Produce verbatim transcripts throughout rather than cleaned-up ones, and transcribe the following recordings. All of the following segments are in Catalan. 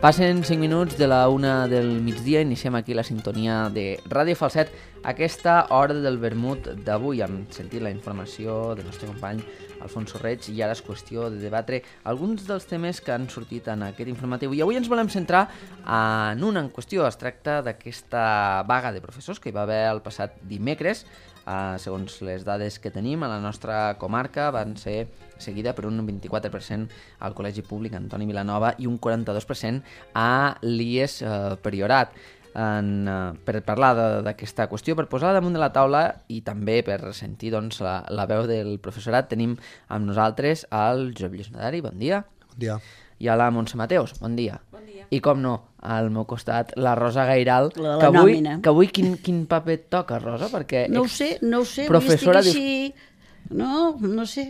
Passen cinc minuts de la una del migdia, iniciem aquí la sintonia de Ràdio Falset, aquesta hora del vermut d'avui. Hem sentit la informació del nostre company Alfonso Reig i ara és qüestió de debatre alguns dels temes que han sortit en aquest informatiu. I avui ens volem centrar en una en qüestió. Es tracta d'aquesta vaga de professors que hi va haver el passat dimecres. Uh, segons les dades que tenim, a la nostra comarca van ser seguida per un vint-i-quatre per cent al Col·legi Públic Antoni Vilanova i un quaranta-dos per cent a l'I E S uh, Priorat. En, uh, per parlar d'aquesta qüestió, per posar damunt de la taula i també per sentir doncs, la, la veu del professorat, tenim amb nosaltres el Josep Lluís Nadari. Bon dia. Bon dia. I a la Montse Mateos. Bon dia. Bon dia. I com no, al meu costat, la Rosa Gairal, la que avui, nòmina. que avui quin, quin paper et toca, Rosa? Perquè no ho sé, no ho sé, professora avui estic així... No, no sé,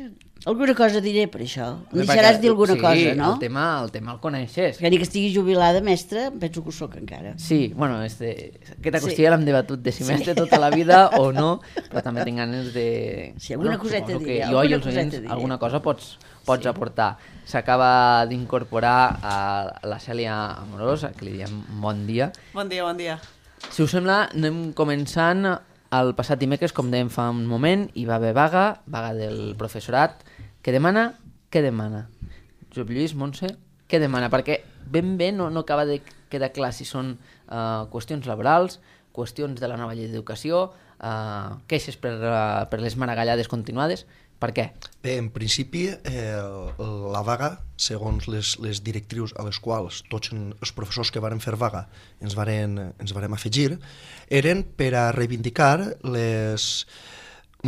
alguna cosa diré per això. Em deixaràs dir alguna sí, cosa, no? el tema, el tema el coneixes. Que ni que estigui jubilada, mestra, penso que ho soc encara. Sí, bueno, este, aquesta qüestió Sí. ja l'hem debatut de si mestre sí. tota la vida o no, però també tinc ganes de... Sí, alguna bueno, coseta suposo diré, que jo alguna i els coseta oients diré. alguna cosa pots, pots Sí. aportar. S'acaba d'incorporar a la Cèlia Amorosa, que li diem bon dia. Bon dia, bon dia. Si us sembla, anem començant. El passat dimecres, com dèiem fa un moment, hi va haver vaga, vaga del professorat. Què demana? Què demana? Josep Lluís, Montse, què demana? Perquè ben bé no, no acaba de quedar clar si són uh, qüestions laborals, qüestions de la nova llei d'educació, uh, queixes per, uh, per les maragallades continuades. Per què? Bé, en principi, eh, la vaga, segons les, les directrius a les quals tots els professors que varen fer vaga ens varen, ens varen afegir, eren per a reivindicar les,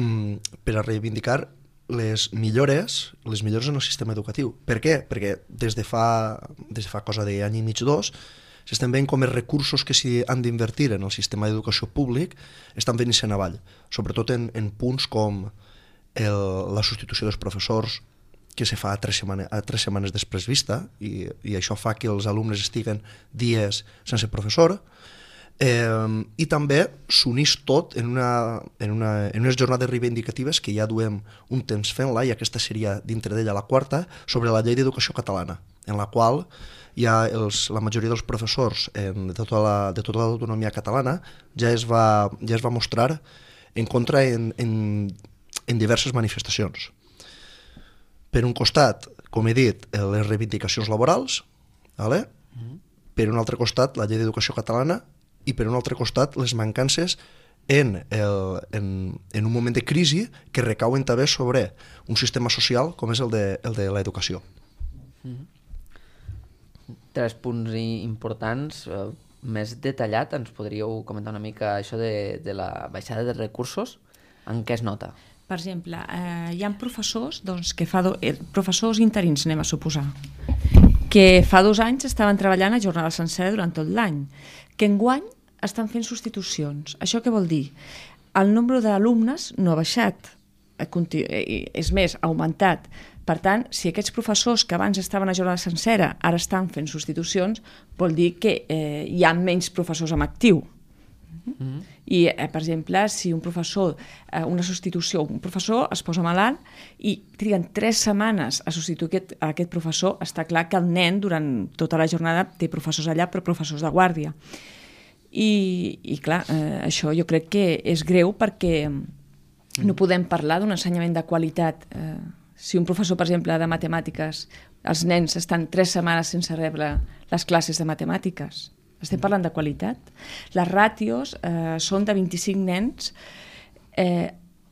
mm, per a reivindicar les millores, les millores en el sistema educatiu. Per què? Perquè des de fa, des de fa cosa d'any i mig, dos, s'estan veient com els recursos que s'hi han d'invertir en el sistema d'educació públic estan venint-se'n avall, sobretot en, en punts com el, la substitució dels professors que se fa a tres, setmana, a tres setmanes després vista i, i això fa que els alumnes estiguen dies sense professor eh, i també s'unís tot en, una, en, una, en unes jornades reivindicatives que ja duem un temps fent-la i aquesta seria dintre d'ella la quarta sobre la llei d'educació catalana en la qual ja els, la majoria dels professors en, de tota la, de tota l'autonomia catalana ja es va, ja es va mostrar en contra en, en en diverses manifestacions. Per un costat, com he dit, les reivindicacions laborals, vale? Mm-hmm. Per un altre costat, la llei d'educació catalana i per un altre costat, les mancances en, el, en, en un moment de crisi que recauen també sobre un sistema social com és el de, el de l'educació. Mm-hmm. Tres punts importants. Eh, més detallat, ens podríeu comentar una mica això de, de la baixada de recursos? En què es nota? Per exemple, eh, hi ha professors, doncs, que fa do... eh, professors interins, anem a suposar, que fa dos anys estaven treballant a jornada sencera durant tot l'any, que enguany estan fent substitucions. Això què vol dir? El nombre d'alumnes no ha baixat, és més, ha augmentat. Per tant, si aquests professors que abans estaven a jornada sencera ara estan fent substitucions, vol dir que eh, hi ha menys professors en actiu. Mm-hmm. I, eh, per exemple, si un professor, eh, una substitució, un professor es posa malalt i triguen tres setmanes a substituir aquest, a aquest professor, està clar que el nen durant tota la jornada té professors allà, però professors de guàrdia. I, i clar, eh, això jo crec que és greu perquè no podem parlar d'un ensenyament de qualitat. Eh, si un professor, per exemple, de matemàtiques, els nens estan tres setmanes sense rebre les classes de matemàtiques, estem parlant de qualitat. Les ràtios eh, són de vint-i-cinc nens eh,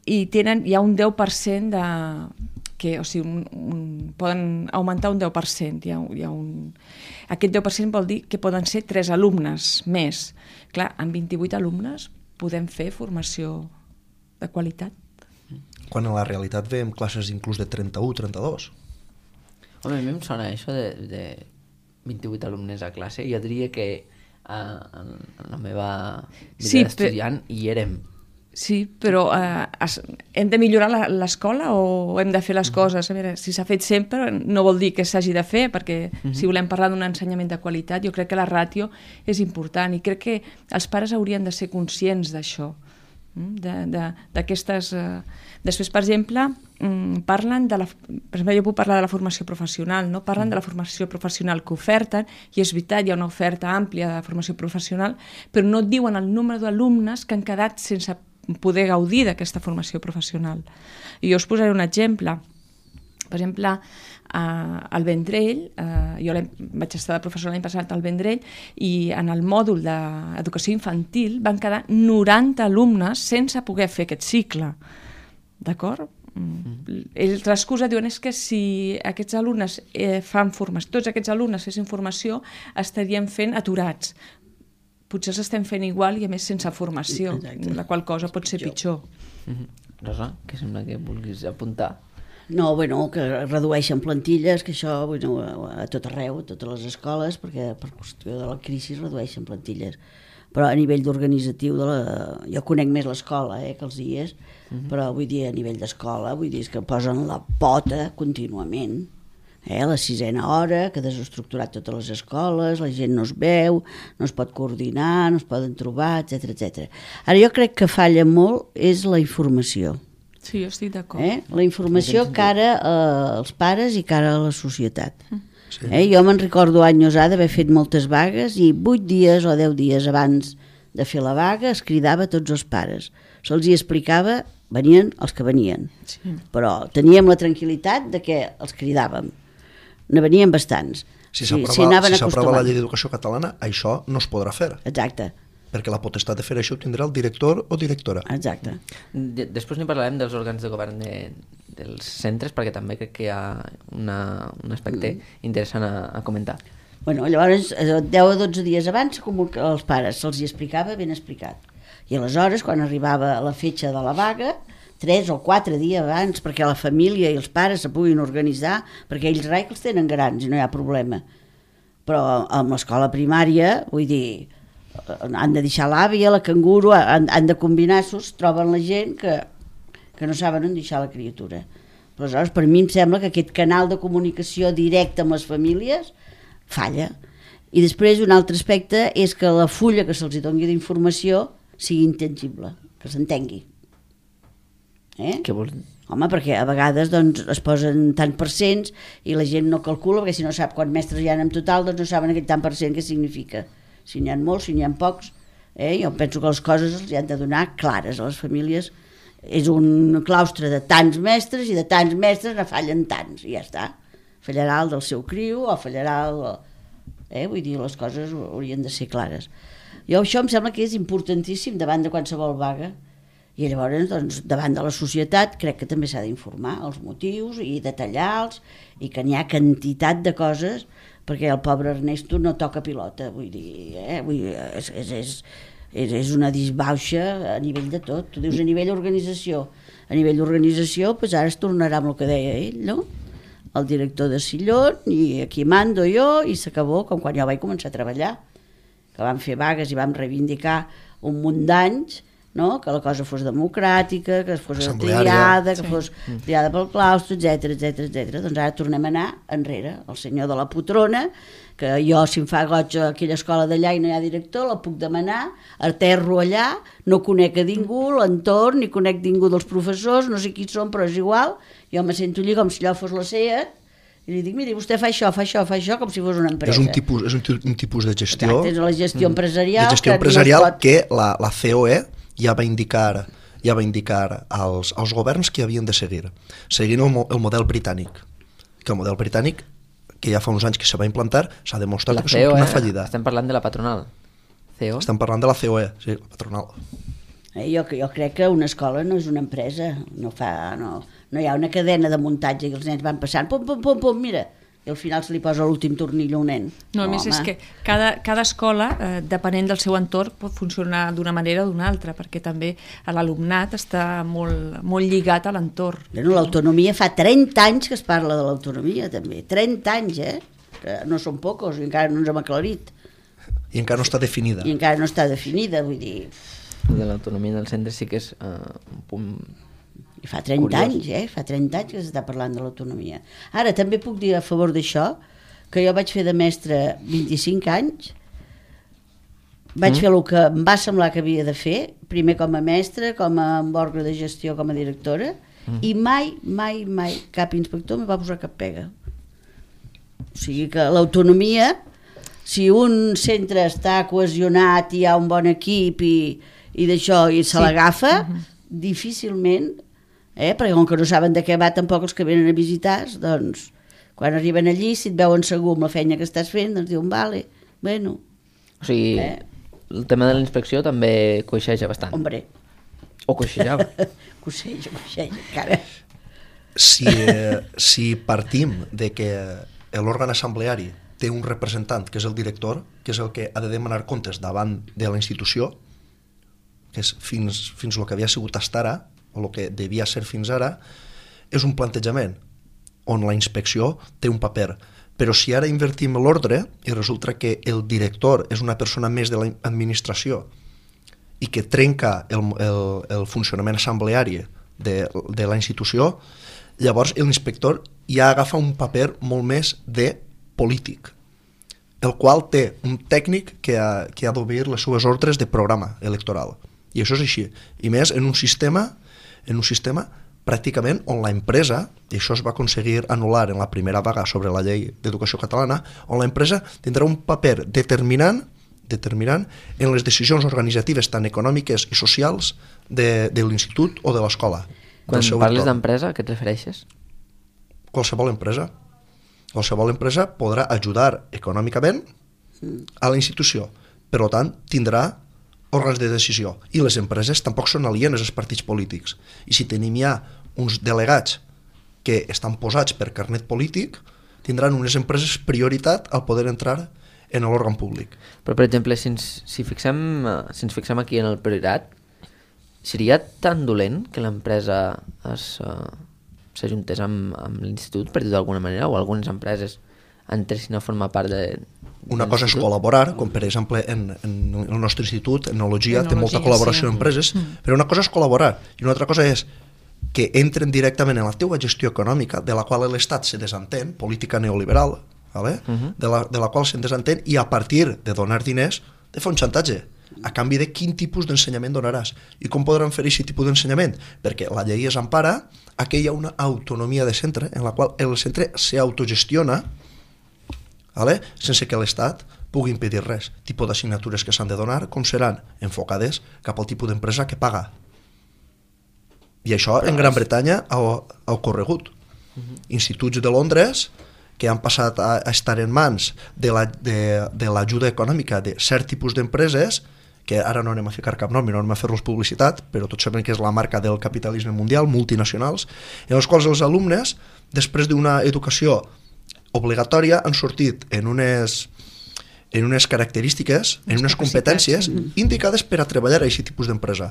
i tenen, hi ha un deu per cent de... que, o sigui, un, un, poden augmentar un deu per cent. Hi ha, hi ha un... Aquest deu per cent vol dir que poden ser tres alumnes més. Clar, amb vint-i-vuit alumnes podem fer formació de qualitat. Quan a la realitat veiem classes inclús de trenta-u, trenta-dos. Home, a mi em sona això de, de vint-i-vuit alumnes a classe. Jo diria que en la meva vida sí, d'estudiant per... hi érem. Sí, però eh, es, hem de millorar l'escola o hem de fer les coses? A veure, si s'ha fet sempre no vol dir que s'hagi de fer, perquè uh-huh. si volem parlar d'un ensenyament de qualitat, jo crec que la ràtio és important i crec que els pares haurien de ser conscients d'això, d'aquestes... Eh... Després, per exemple, parlen de la... Per exemple, jo puc parlar de la formació professional, no? Parlen de la formació professional que oferten, i és veritat, hi ha una oferta àmplia de formació professional, però no et diuen el número d'alumnes que han quedat sense poder gaudir d'aquesta formació professional. I jo us posaré un exemple. Per exemple, al Vendrell, jo vaig estar de professor l'any passat al Vendrell, i en el mòdul d'educació infantil van quedar noranta alumnes sense poder fer aquest cicle. D'acord? Ells l'excusa diuen és que si aquests alumnes fan formació, tots aquests alumnes fessin formació, estaríem fent aturats. Potser els estem fent igual i a més sense formació, la qual cosa pot ser pitjor. Rosa, què sembla que vulguis apuntar? No, bueno, que redueixen plantilles, que això bueno, a tot arreu, a totes les escoles, perquè per qüestió de la crisi redueixen plantilles. Però a nivell d'organitzatiu, de la... jo conec més l'escola eh, que els dies, uh-huh. però vull dir, a nivell d'escola, vull dir que posen la pota contínuament. Eh, la sisena hora, que ha desestructurat totes les escoles, la gent no es veu, no es pot coordinar, no es poden trobar, etcètera, etcètera. Ara jo crec que falla molt és la informació. Sí, jo estic d'acord. Eh? La informació cara als pares i cara a la societat. Sí. Eh? Jo me'n recordo anys ha d'haver fet moltes vagues i vuit dies o deu dies abans de fer la vaga es cridava a tots els pares. Se'ls hi explicava, venien els que venien. Sí. Però teníem la tranquil·litat de que els cridàvem. Ne venien bastants. Si s'aprova si si la llei d'educació catalana, això no es podrà fer. Exacte. Perquè la potestat de fer això ho tindrà el director o directora. Exacte. Després n'hi parlarem dels òrgans de govern de, dels centres, perquè també crec que hi ha una, un aspecte mm. interessant a, a comentar. Bueno, llavors, deu o dotze dies abans, com els pares se'ls hi explicava ben explicat. I aleshores, quan arribava la fetge de la vaga, tres o quatre dies abans, perquè la família i els pares se puguin organitzar, perquè ells rai que els tenen grans i no hi ha problema. Però amb l'escola primària, vull dir... han de deixar l'àvia, la canguro, han, han de combinar-s'os, troben la gent que, que no saben on deixar la criatura. Aleshores, per mi em sembla que aquest canal de comunicació directe amb les famílies falla. I després un altre aspecte és que la fulla que se'ls doni d'informació sigui intangible, que s'entengui. Eh? Què vols dir? Home, perquè a vegades doncs, es posen tant per cents i la gent no calcula, perquè si no sap quants mestres hi ha en total, doncs no saben aquest tant per cent què significa. Si n'hi ha molts, si n'hi ha pocs, eh? Jo penso que les coses els han de donar clares a les famílies. És un claustre de tants mestres i de tants mestres ne fallen tants, i ja està. Fallarà el del seu criu o fallarà el... Eh? Vull dir, les coses haurien de ser clares. Jo això em sembla que és importantíssim davant de qualsevol vaga, i llavors doncs, davant de la societat crec que també s'ha d'informar els motius i detallar-los, i que n'hi ha quantitat de coses, perquè el pobre Ernesto no toca pilota, vull dir, eh? vull dir és, és, és, és, és una disbauxa a nivell de tot. Tu dius a nivell d'organització. A nivell d'organització, doncs ara es tornarà amb el que deia ell, no? El director de Sillón, i aquí mando jo, i s'acabó com quan jo vaig començar a treballar, que vam fer vagues i vam reivindicar un munt d'anys, no? Que la cosa fos democràtica, que fos triada, que sí. fos triada pel claustre, etcètera, etcètera, etcètera. Doncs ara tornem a anar enrere. El senyor de la Potrona, que jo, si em fa goig a aquella escola d'allà i no hi ha director, la puc demanar, aterro allà, no conec a ningú, l'entorn, ni conec ningú dels professors, no sé qui són, però és igual, jo me sento allà com si allò fos la SEAT, i li dic, miri, vostè fa això, fa això, fa això, com si fos una empresa. És un tipus, és un, un tipus de gestió... Exacte, és la gestió empresarial... De gestió empresarial que, pot... que la, la C O E ja va indicar, ja va indicar als, als governs que havien de seguir, seguint el, el model britànic, que el model britànic, que ja fa uns anys que se va implantar, s'ha demostrat la que és una fallida. Estem parlant de la patronal. C O? Estem parlant de la C O E, sí, la patronal. Eh, jo, jo crec que una escola no és una empresa, no, fa, no, no hi ha una cadena de muntatge i els nens van passant, pum, pum, pum, pum, mira, i al final se li posa l'últim tornill a un nen. No, a més home. És que cada, cada escola, eh, depenent del seu entorn, pot funcionar d'una manera o d'una altra, perquè també l'alumnat està molt, molt lligat a l'entorn. Bueno, l'autonomia fa trenta anys que es parla de l'autonomia, també. trenta anys, eh? Que no són pocos, i encara no ens hem aclarit. I encara no està definida. I encara no està definida, vull dir... De l'autonomia del centre sí que és uh, un punt... I fa trenta anys, eh? Fa trenta anys que s'està parlant de l'autonomia. Ara, també puc dir a favor d'això que jo vaig fer de mestre vint-i-cinc anys vaig Mm. fer el que em va semblar que havia de fer, primer com a mestra, com a òrgan de gestió, com a directora, Mm. i mai, mai, mai cap inspector me va posar cap pega. O sigui que l'autonomia, si un centre està cohesionat i hi ha un bon equip i, i d'això i se Sí. l'agafa, Mhm. difícilment, eh? perquè com que no saben de què va tampoc els que venen a visitar, doncs quan arriben allí, si et veuen segur amb la feina que estàs fent, doncs diuen, vale, bueno, O sigui, Eh. el tema de la inspecció també coixeja bastant. hombre, O coixejava. coseja, coseja, encara. Si, eh, si partim de que l'òrgan assembleari té un representant, que és el director, que és el que ha de demanar comptes davant de la institució, que és fins, fins el que havia sigut fins ara, o el que devia ser fins ara, és un plantejament on la inspecció té un paper. Però si ara invertim l'ordre i resulta que el director és una persona més de l'administració i que trenca el, el, el funcionament assembleari de, de la institució, llavors l'inspector ja agafa un paper molt més de polític, el qual té un tècnic que ha, que ha d'obrir les seves ordres de programa electoral. I això és així. I més en un sistema, en un sistema pràcticament on la empresa, i això es va aconseguir anul·lar en la primera vaga sobre la llei d'educació catalana, on la empresa tindrà un paper determinant determinant en les decisions organitzatives tant econòmiques i socials de, de l'institut o de l'escola. Quan parles d'empresa, a què et refereixes? Qualsevol empresa. Qualsevol empresa podrà ajudar econòmicament a la institució. Per tant, tindrà òrgans de decisió. I les empreses tampoc són alienes als partits polítics. I si tenim ja uns delegats que estan posats per carnet polític, tindran unes empreses prioritat al poder entrar en l'òrgan públic. Però, per exemple, si ens, si fixem, si ens fixem aquí en el priorat, seria tan dolent que l'empresa es, uh, s'ajuntés amb, amb l'institut, per dir-ho d'alguna manera, o algunes empreses entressin a formar part de... Una cosa és col·laborar, com per exemple en, en el nostre institut, Enologia, té molta col·laboració sí. amb empreses, mm. però una cosa és col·laborar, i una altra cosa és que entren directament en la teua gestió econòmica, de la qual l'Estat se desentén, política neoliberal, vale? uh-huh. de, la, de la qual se'n desentén, i a partir de donar diners, de fer un xantatge, a canvi de quin tipus d'ensenyament donaràs. I com podran fer aquest tipus d'ensenyament? Perquè la llei es empara a que hi ha una autonomia de centre, en la qual el centre s'autogestiona, vale? Sense que l'Estat pugui impedir res. Tipus d'assignatures que s'han de donar, com seran enfocades cap al tipus d'empresa que paga. I això en Gran Bretanya ha, ha ocorregut. Uh-huh. Instituts de Londres que han passat a, a estar en mans de la, de, de l'ajuda econòmica de cert tipus d'empreses, que ara no anem a ficar cap nom i no anem a fer-los publicitat, però tots sabem que és la marca del capitalisme mundial, multinacionals, en els quals els alumnes, després d'una educació obligatòria, han sortit en unes, en unes característiques, en unes competències indicades per a treballar a aquest tipus d'empresa.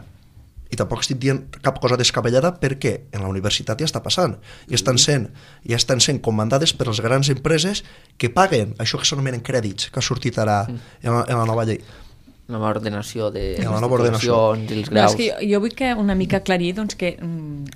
I tampoc estic dient cap cosa descabellada perquè en la universitat ja està passant i estan sent, ja estan sent comandades per les grans empreses que paguen això que s'anomenen crèdits, que ha sortit ara en la, en la nova llei. La nova ordenació de la nova ordenació. i els No, graus. és que jo, jo vull que una mica aclarir doncs, que,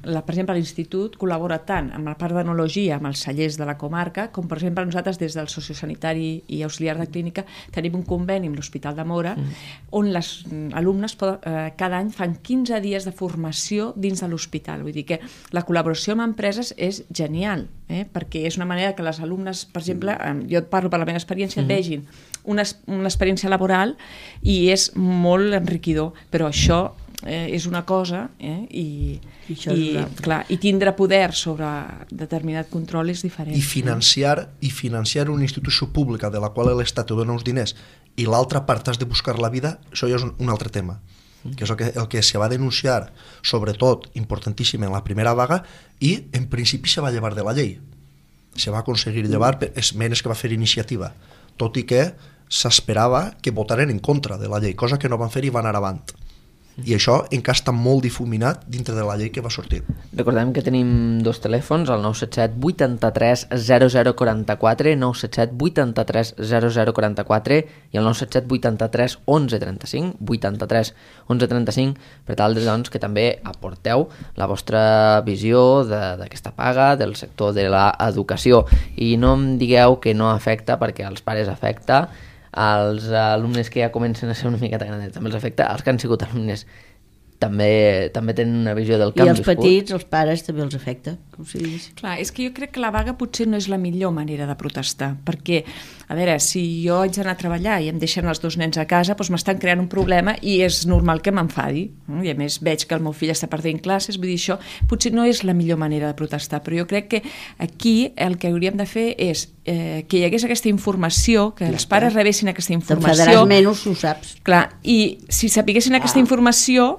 la, per exemple, l'Institut col·labora tant amb la part d'enologia, amb els cellers de la comarca, com, per exemple, nosaltres des del sociosanitari i auxiliar de clínica tenim un conveni amb l'Hospital de Móra mm. on les alumnes poden, eh, cada any fan quinze dies de formació dins de l'hospital. Vull dir que la col·laboració amb empreses és genial, eh? perquè és una manera que les alumnes, per exemple, eh, jo et parlo per la meva experiència, mm. vegin una, una experiència laboral i és molt enriquidor, però això eh, és una cosa eh, i, I, i, clar, i tindre poder sobre determinat control és diferent. I financiar, i financiar una institució pública de la qual l'Estat te dona uns diners i l'altra part has de buscar la vida, això ja és un, un altre tema, que és el que, el que se va denunciar, sobretot, importantíssim en la primera vaga, i en principi se va llevar de la llei. Se va aconseguir llevar per esmenes que va fer iniciativa, tot i que s'esperava que votaren en contra de la llei, cosa que no van fer i van anar avant. I això encara està molt difuminat dintre de la llei que va sortir. Recordem que tenim dos telèfons, el nou set set vuitanta-tres zero zero quaranta-quatre, nou set set vuitanta-tres zero zero quaranta-quatre i el nou set set vuitanta-tres onze trenta-cinc, vuitanta-tres onze trenta-cinc, per tal de, doncs, que també aporteu la vostra visió d'aquesta paga, del sector de l'educació. I no em digueu que no afecta, perquè als pares afecta, als alumnes que ja comencen a ser una miqueta grandets també els afecta, els que han sigut alumnes també, també tenen una visió del que I han els viscut. petits, els pares, també els afecta. Com si digués. Clar, és que jo crec que la vaga potser no és la millor manera de protestar, perquè, a veure, si jo haig d'anar a treballar i em deixen els dos nens a casa, doncs m'estan creant un problema i és normal que m'enfadi. I a més veig que el meu fill està perdent classes, vull dir, això potser no és la millor manera de protestar, però jo crec que aquí el que hauríem de fer és eh, que hi hagués aquesta informació, que els pares rebessin aquesta informació. T'enfadaràs menys, ho saps. Clar, i si sapiguessin aquesta informació,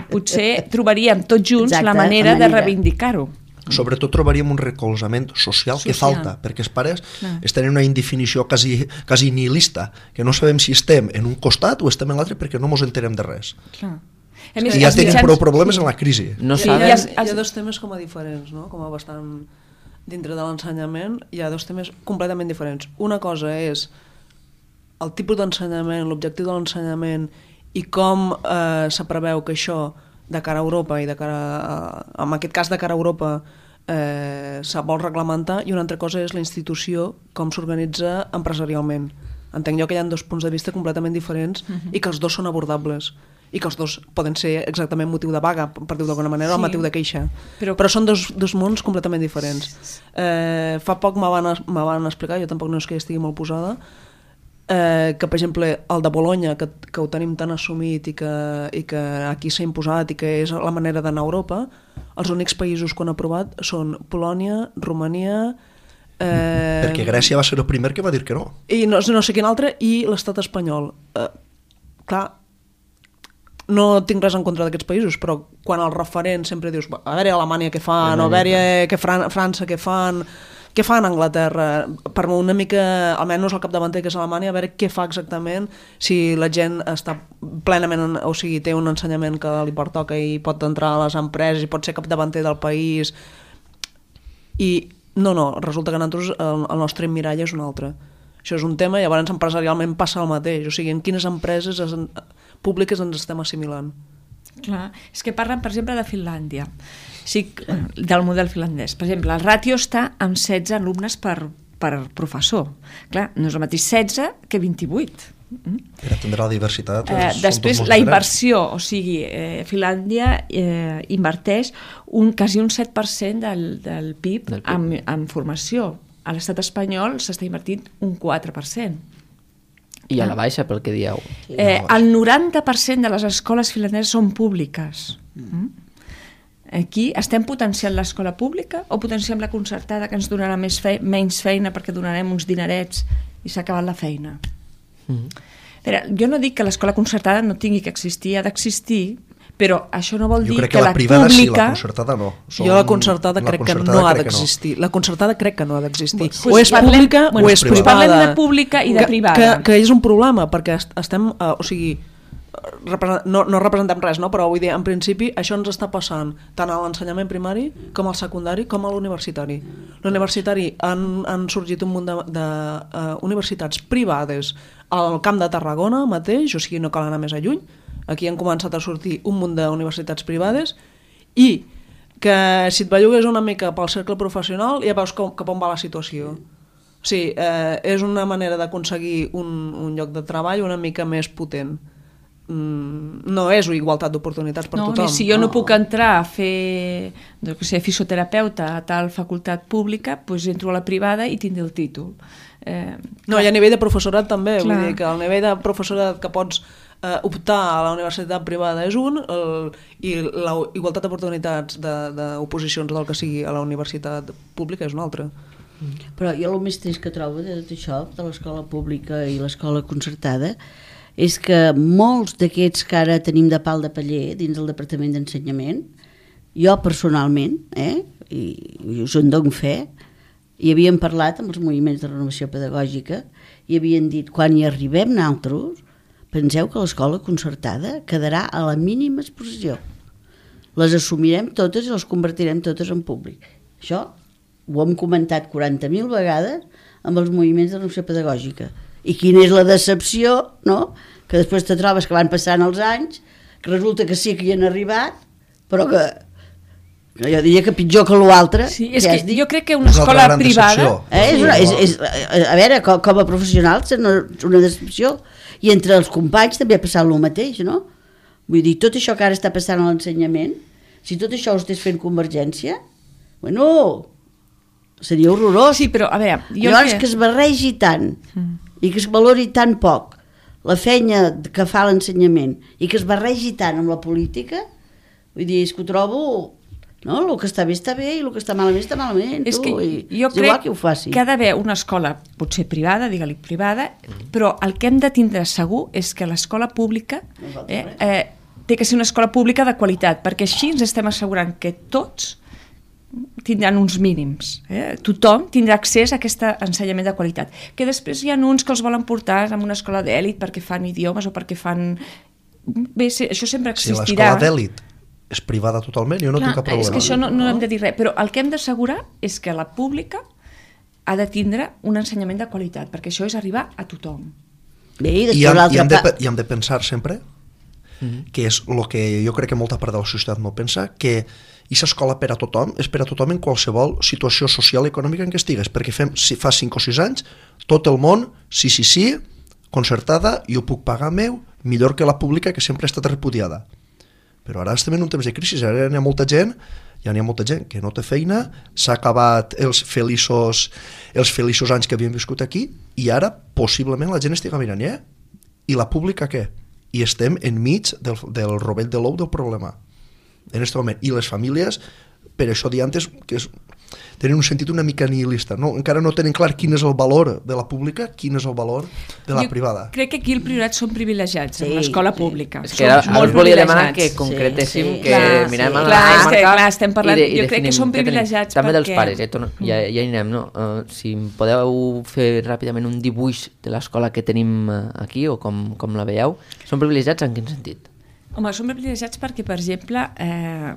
potser trobaríem tots junts Exacte, la manera, la manera. de reivindicar-ho. Sobretot trobaríem un recolzament social, social. que falta, perquè els pares Clar. estan en una indefinició quasi, quasi nihilista, que no sabem si estem en un costat o estem en l'altre perquè no ens enterem de res. Clar. I ja els tenim mitjans- prou problemes en la crisi. No Sí, saben... hi Hi ha, els- hi ha dos temes com a diferents, no? Com a bastant dintre de l'ensenyament, hi ha dos temes completament diferents. Una cosa és el tipus d'ensenyament, l'objectiu de l'ensenyament i com eh, se preveu que això de cara a Europa i de cara a, en aquest cas de cara a Europa eh, se vol reglamentar, i una altra cosa és la institució, com s'organitza empresarialment. Entenc jo que hi ha dos punts de vista completament diferents uh-huh. i que els dos són abordables i que els dos poden ser exactament motiu de vaga, per dir-ho d'alguna manera, sí. o motiu de queixa. Però, Però són dos, dos mons completament diferents. Eh, fa poc me van, me van explicar, jo tampoc no és que hi estigui molt posada, eh, que per exemple el de Bologna, que, que ho tenim tan assumit i que, i que aquí s'ha imposat i que és la manera d'anar a Europa, els únics països que han aprovat són Polònia, Romania... Eh, perquè Grècia va ser el primer que va dir que no. I no, no sé quin altre, i l'estat espanyol. Eh, clar, no tinc res en contra d'aquests països, però quan el referent sempre dius, a veure Alemanya què fan, o a veure que Fran França què fan, què fan a Anglaterra, per una mica, almenys el capdavanter que és Alemanya, a veure què fa exactament, si la gent està plenament, o sigui, té un ensenyament que li pertoca i pot entrar a les empreses i pot ser capdavanter del país, i no, no, resulta que nosaltres el, el nostre mirall és un altre. Això és un tema, i llavors empresarialment passa el mateix, o sigui, en quines empreses es, públiques ens estem assimilant. Clar, és que parlen, per exemple, de Finlàndia, sí, del model finlandès. Per exemple, el ràtio està amb setze alumnes per, per professor. Clar, no és el mateix setze que vint-i-vuit. Per atendre la diversitat. Eh, després, la inversió, o sigui, eh, Finlàndia eh, inverteix un, quasi un set per cent del, del P I B, del P I B. En, en formació. A l'estat espanyol s'està invertint un quatre per cent. I a la baixa, pel que dieu. Eh, el noranta per cent de les escoles finlandeses són públiques. Mm. Aquí estem potenciant l'escola pública o potenciem la concertada, que ens donarà més fe menys feina perquè donarem uns dinerets i s'ha acabat la feina? Mm. Però, jo no dic que l'escola concertada no tingui que existir, ha d'existir, però això no vol jo dir crec que, que la, la privada pública... sí, la concertada no. Som... Jo la concertada crec la concertada que no ha crec d'existir. No. La concertada crec que no ha d'existir. Pues, o és parlem, pública bueno, o és pues privada. Parlem de pública i de que, privada. Que, que és un problema, perquè estem... Uh, o sigui, no, no representem res, no? Però vull dir, en principi això ens està passant tant a l'ensenyament primari com al secundari com a l'universitari. L'universitari han, han sorgit un munt de, de uh, universitats privades al Camp de Tarragona mateix, o sigui, no cal anar més a lluny. Aquí han començat a sortir un munt d'universitats privades i que si et bellugues una mica pel cercle professional ja veus com, cap on va la situació. O sigui, eh, és una manera d'aconseguir un, un lloc de treball una mica més potent. Mm, no és igualtat d'oportunitats per no, tothom. Si jo no puc entrar a fer no, que sé, fisioterapeuta a tal facultat pública, doncs entro a la privada i tindré el títol. Eh, no, i a nivell de professorat també, clar. Vull dir que el nivell de professorat que pots eh, optar a la universitat privada és un, el, i la igualtat d'oportunitats d'oposicions del que sigui a la universitat pública és un altre. Però jo el més trist que trobo de tot això, de l'escola pública i l'escola concertada, és que molts d'aquests que ara tenim de pal de paller dins del Departament d'Ensenyament, jo personalment, eh, i, i us en dono fe, hi havien parlat amb els moviments de renovació pedagògica i havien dit, quan hi arribem nosaltres, penseu que l'escola concertada quedarà a la mínima exposició. Les assumirem totes i les convertirem totes en públic. Això ho hem comentat quaranta mil vegades amb els moviments de renovació pedagògica. I quina és la decepció, no? Que després te trobes que van passant els anys, que resulta que sí que hi han arribat, però que Jo diria que pitjor que l'altre. Sí, és ja que has dit. jo crec que una És una escola gran privada... decepció. Eh, és una, és, és, a veure, com, com a professionals és una, una decepció. I entre els companys també ha passat el mateix, no? Vull dir, tot això que ara està passant a l'ensenyament, si tot això ho estigués fent Convergència, bueno, seria horrorós. Sí, però a veure... Jo Llavors que... que es barregi tant Mm. i que es valori tan poc la feina que fa l'ensenyament i que es barregi tant amb la política, vull dir, és que ho trobo... No? El que està bé està bé i el que està malament està malament. És tu, que i jo és crec igual que ho faci. que ha d'haver una escola, potser privada, digue-li privada, però el que hem de tindre segur és que l'escola pública eh, eh, té que ser una escola pública de qualitat, perquè així ens estem assegurant que tots tindran uns mínims. Eh? Tothom tindrà accés a aquest ensenyament de qualitat. Que després hi ha uns que els volen portar en una escola d'èlit perquè fan idiomes o perquè fan... Bé, això sempre Si existirà. l'escola d'èlit és privada totalment, jo no Clar, tinc cap problema. és que això no, no hem de dir res, però el que hem d'assegurar és que la pública ha de tindre un ensenyament de qualitat, perquè això és arribar a tothom. Bé, i I després hem, i, l'altra hem de, part... pe- i hem de pensar sempre, que és el que jo crec que molta part de la societat no pensa, que aquesta escola per a tothom és per a tothom en qualsevol situació social i econòmica en què estigues, perquè fem, si fa cinc o sis anys, tot el món, sí, sí, sí, concertada, jo puc pagar meu, millor que la pública, que sempre ha estat repudiada. Però ara estem en un temps de crisi, ara hi ha molta gent, ja n'hi ha molta gent que no té feina, s'ha acabat els feliços, els feliços anys que havíem viscut aquí, i ara possiblement la gent estiga mirant, eh? I la pública què? I estem enmig del, del rovell de l'ou del problema, en aquest moment. I les famílies, per això dir antes, que és, tenen un sentit una mica nihilista, no? Encara no tenen clar quin és el valor de la pública, quin és el valor de la Jo privada. crec que aquí el priorat són privilegiats, Sí, en l'escola sí. pública. És que ara, Som ara molt us volia demanar que privilegiats. concretéssim, Sí, sí. que Clar, mirem sí. a la Clar, és que, comarca clar, estem parlant- i de- i jo crec que definim som què tenim. privilegiats També dels perquè- pares, eh? Torno- ja, ja hi anem, no? Uh, si em podeu fer ràpidament un dibuix de l'escola que tenim uh, aquí, o com, com la veieu, són privilegiats en quin sentit? Home, som privilegiats perquè, per exemple, eh,